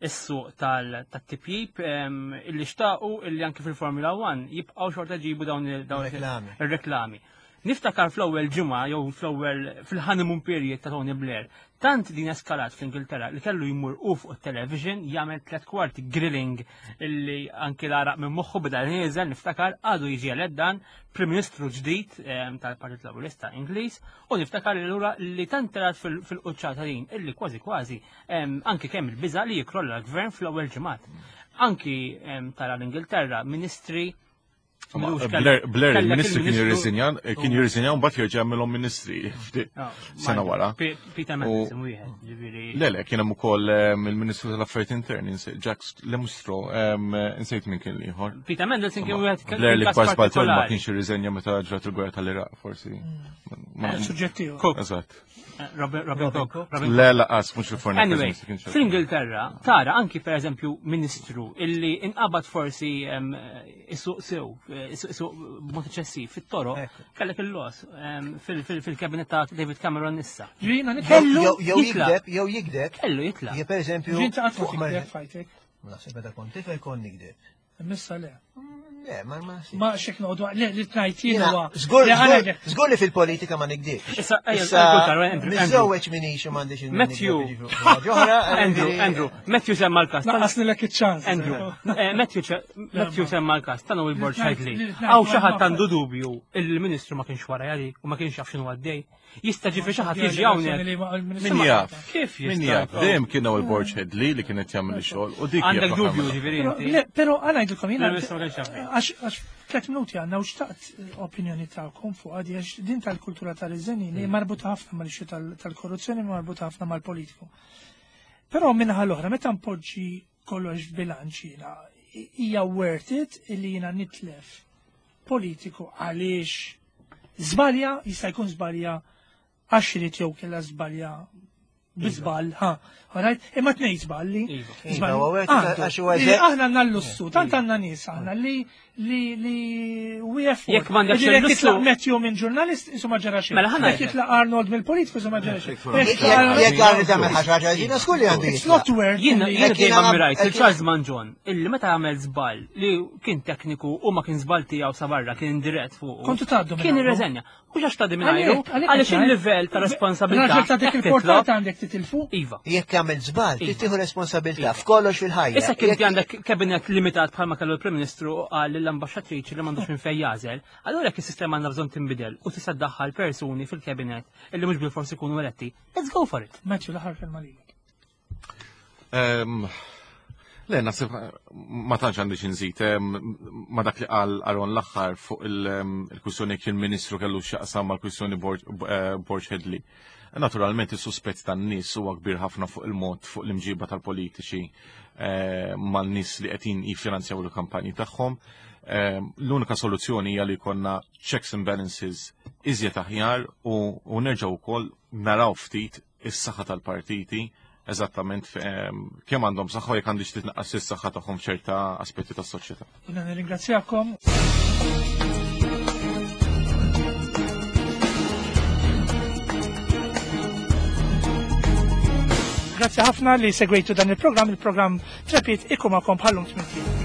Speaker 4: is-suq tat-tipjip illi xtaqu illi anke fil-Formula 1 jibqgħu xorta ġibu dawn
Speaker 2: Reklami.
Speaker 4: ir-reklami. Niftakar fl-ewwel ġimgħa jew fl-ewwel fil-honeymoon period ta' Tony Blair, tant din eskalat fl-Ingilterra li kellu jmur u fuq it-television jagħmel 3/4 grilling illi anki l-għaraq minn moħħu beda nieżel. Niftakar għadu jiġi elett dan Prim Ministru ġdid tal-Partit Laburista Ingliż u niftakar li lura li tant telat fil-quċċata din illi kważi kważi anki kemm il-biża li jikrolla l-gvern fl-ewwel ġimgħat. Anki tara l-Ingilterra, ministri
Speaker 3: Blair, il-ministri kien jirriżinja, kien jirriżinja mbagħad jerġa' jagħmilhom ministri ah, sena wara.
Speaker 4: Peter Mandelson wieħed,
Speaker 3: ġifieri. Le, le, kien hemm ukoll il-Ministru tal-Affarijiet Interni, Jacques Lemustro, insejt minn kien l-ieħor.
Speaker 4: Peter Mandelson kien wieħed
Speaker 3: Blair li kbar żball ma kienx irriżenja meta ġrat il-gwerra tal-Iraq, forsi.
Speaker 1: Mm. Suġġettiv.
Speaker 3: Eżatt.
Speaker 4: Robin Cook.
Speaker 3: Le, laqas, mux il-forni.
Speaker 4: Anyway, fl-Ingilterra, tara anki per eżempju ministru illi inqabad forsi isuq sew, isuq b'mod eċċessiv fit-toroq, kellek il-los fil-kabinet ta' David Cameron issa.
Speaker 2: Kellu jew jikdeb, jew jikdeb.
Speaker 4: Kellu jitlaq.
Speaker 2: Je per eżempju.
Speaker 1: Ġinta qatt ma tikdeb fajtek.
Speaker 2: Naħseb meta kont tifel kont nikdeb.
Speaker 1: Missa le.
Speaker 2: Le, ma ma.
Speaker 1: Ma xek noqogħdu le li tnajt jien huwa.
Speaker 2: Żgur li fil-politika ma nikdibx.
Speaker 4: Issa issa
Speaker 2: miżżewweġ minix u m'għandix il
Speaker 4: Matthew. Andrew, Andrew, Matthew semma l-każ.
Speaker 1: Naqasnilek iċ-ċans.
Speaker 4: Andrew, eh, Matthew Matthew semma l-każ ta' Noel Borg Ħedli. Hawn xi ħadd għandu dubju il-Ministru ma kienx wara jali u ma kienx jaf x'inhu għaddej. Jista' ġifi xi ħadd jiġi hawnhekk.
Speaker 3: Min jaf? Kif Min jaf? Dejjem kien hawn il-Borg Headley li kienet jagħmel ix-xogħol u dik.
Speaker 4: Għandek dubju ġifieri inti.
Speaker 1: Le, però għal ngħidilkom jiena. Għax tliet minuti għandna u xtaqt opinjoni tagħkom fuq għadi għax din tal-kultura tal-iżenni li marbuta ħafna mal-ixxu tal-korruzzjoni marbuta ħafna mal-politiku. Però minnaħa l-oħra, meta npoġġi kollox f'bilanċ jiena, hija worth it illi jiena nitlef politiku għaliex żbalja, jista' jkun żbalja għax irid jew kellha żbalja biżball, ha, alright, imma tnej żballi.
Speaker 4: Iva.
Speaker 2: Iva,
Speaker 1: Aħna għandna l-lussu, tant għandna nies aħna li li li we afford.
Speaker 4: Jekk m'għandekx
Speaker 1: Jekk
Speaker 4: il-lussu-
Speaker 1: jitlaq Matthew minn ġurnalist, insomma ġara xejn.
Speaker 4: Mela ħa
Speaker 1: Jekk jitlaq Arnold mill-politiku, insomma ġara xejn. Jekk
Speaker 2: Jekk għarri tagħmel ħaġa ħaġa ġina skur li għandu
Speaker 1: It's not worth
Speaker 4: Jiena
Speaker 1: li-
Speaker 4: jiena
Speaker 2: Jekk
Speaker 4: dejjem
Speaker 2: jiena-
Speaker 4: ammirajt
Speaker 2: jekk
Speaker 4: il Charles Manġon illi meta għamel żball li kien tekniku u ma kien żball tiegħu sa barra kien indirett fuq.
Speaker 1: Kontu tgħaddu minn
Speaker 4: Kien
Speaker 1: għandu.
Speaker 4: irreżenja. Mhux għax tgħaddi minn ajru,
Speaker 1: Għalhekk, għalhekk
Speaker 4: għaliex
Speaker 1: qed ngħid.
Speaker 4: il-livell ta' responsabilità.
Speaker 1: Raġel ta' dik
Speaker 4: hekk
Speaker 1: il-portata
Speaker 4: titlob.
Speaker 1: għandek titilfu.
Speaker 4: Iva.
Speaker 2: Jekk għamil żball, trid
Speaker 4: Iva.
Speaker 2: tieħu responsabilità f'kollox fil-ħajja.
Speaker 4: Issa kien
Speaker 2: Jekk-
Speaker 4: għandek kabinet limitat bħalma kellu l-Prim Ministru u qal lill-ambaxxatriċi li m'għandux minn fejn jażel, allura jekk is-sistema għandha bżonn tinbidel u tista' ddaħħal persuni fil-kabinet illi mhux bilfors ikunu eletti, let's go for it.
Speaker 1: Matthew, l-aħħar kelma lilek.
Speaker 3: Le, naħseb ma tantx għandi xi nżid ma dak li qal Aron l-aħħar fuq il-kwistjoni jekk il-Ministru kellu x'jaqsam mal-kwistjoni eh, Borg Headley. Naturalment is-suspett tan-nies huwa kbir ħafna fuq il-mod fuq l-imġiba tal-politiċi eh, man-nies li qegħdin jiffinanzjaw il-kampanji tagħhom. L-unika soluzzjoni hija li jkollna checks and balances iżjed aħjar u nerġgħu wkoll naraw ftit is-saħħa tal-partiti eżattament kemm għandhom saħħa u jekk għandix titnaqqas is-saħħa tagħhom f'ċerta aspetti tas-soċjetà.
Speaker 1: Jiena nirringrazzjakom. Grazzi ħafna li segwejtu dan il-programm, il-programm Trepit ikun magħkom bħallum tmien.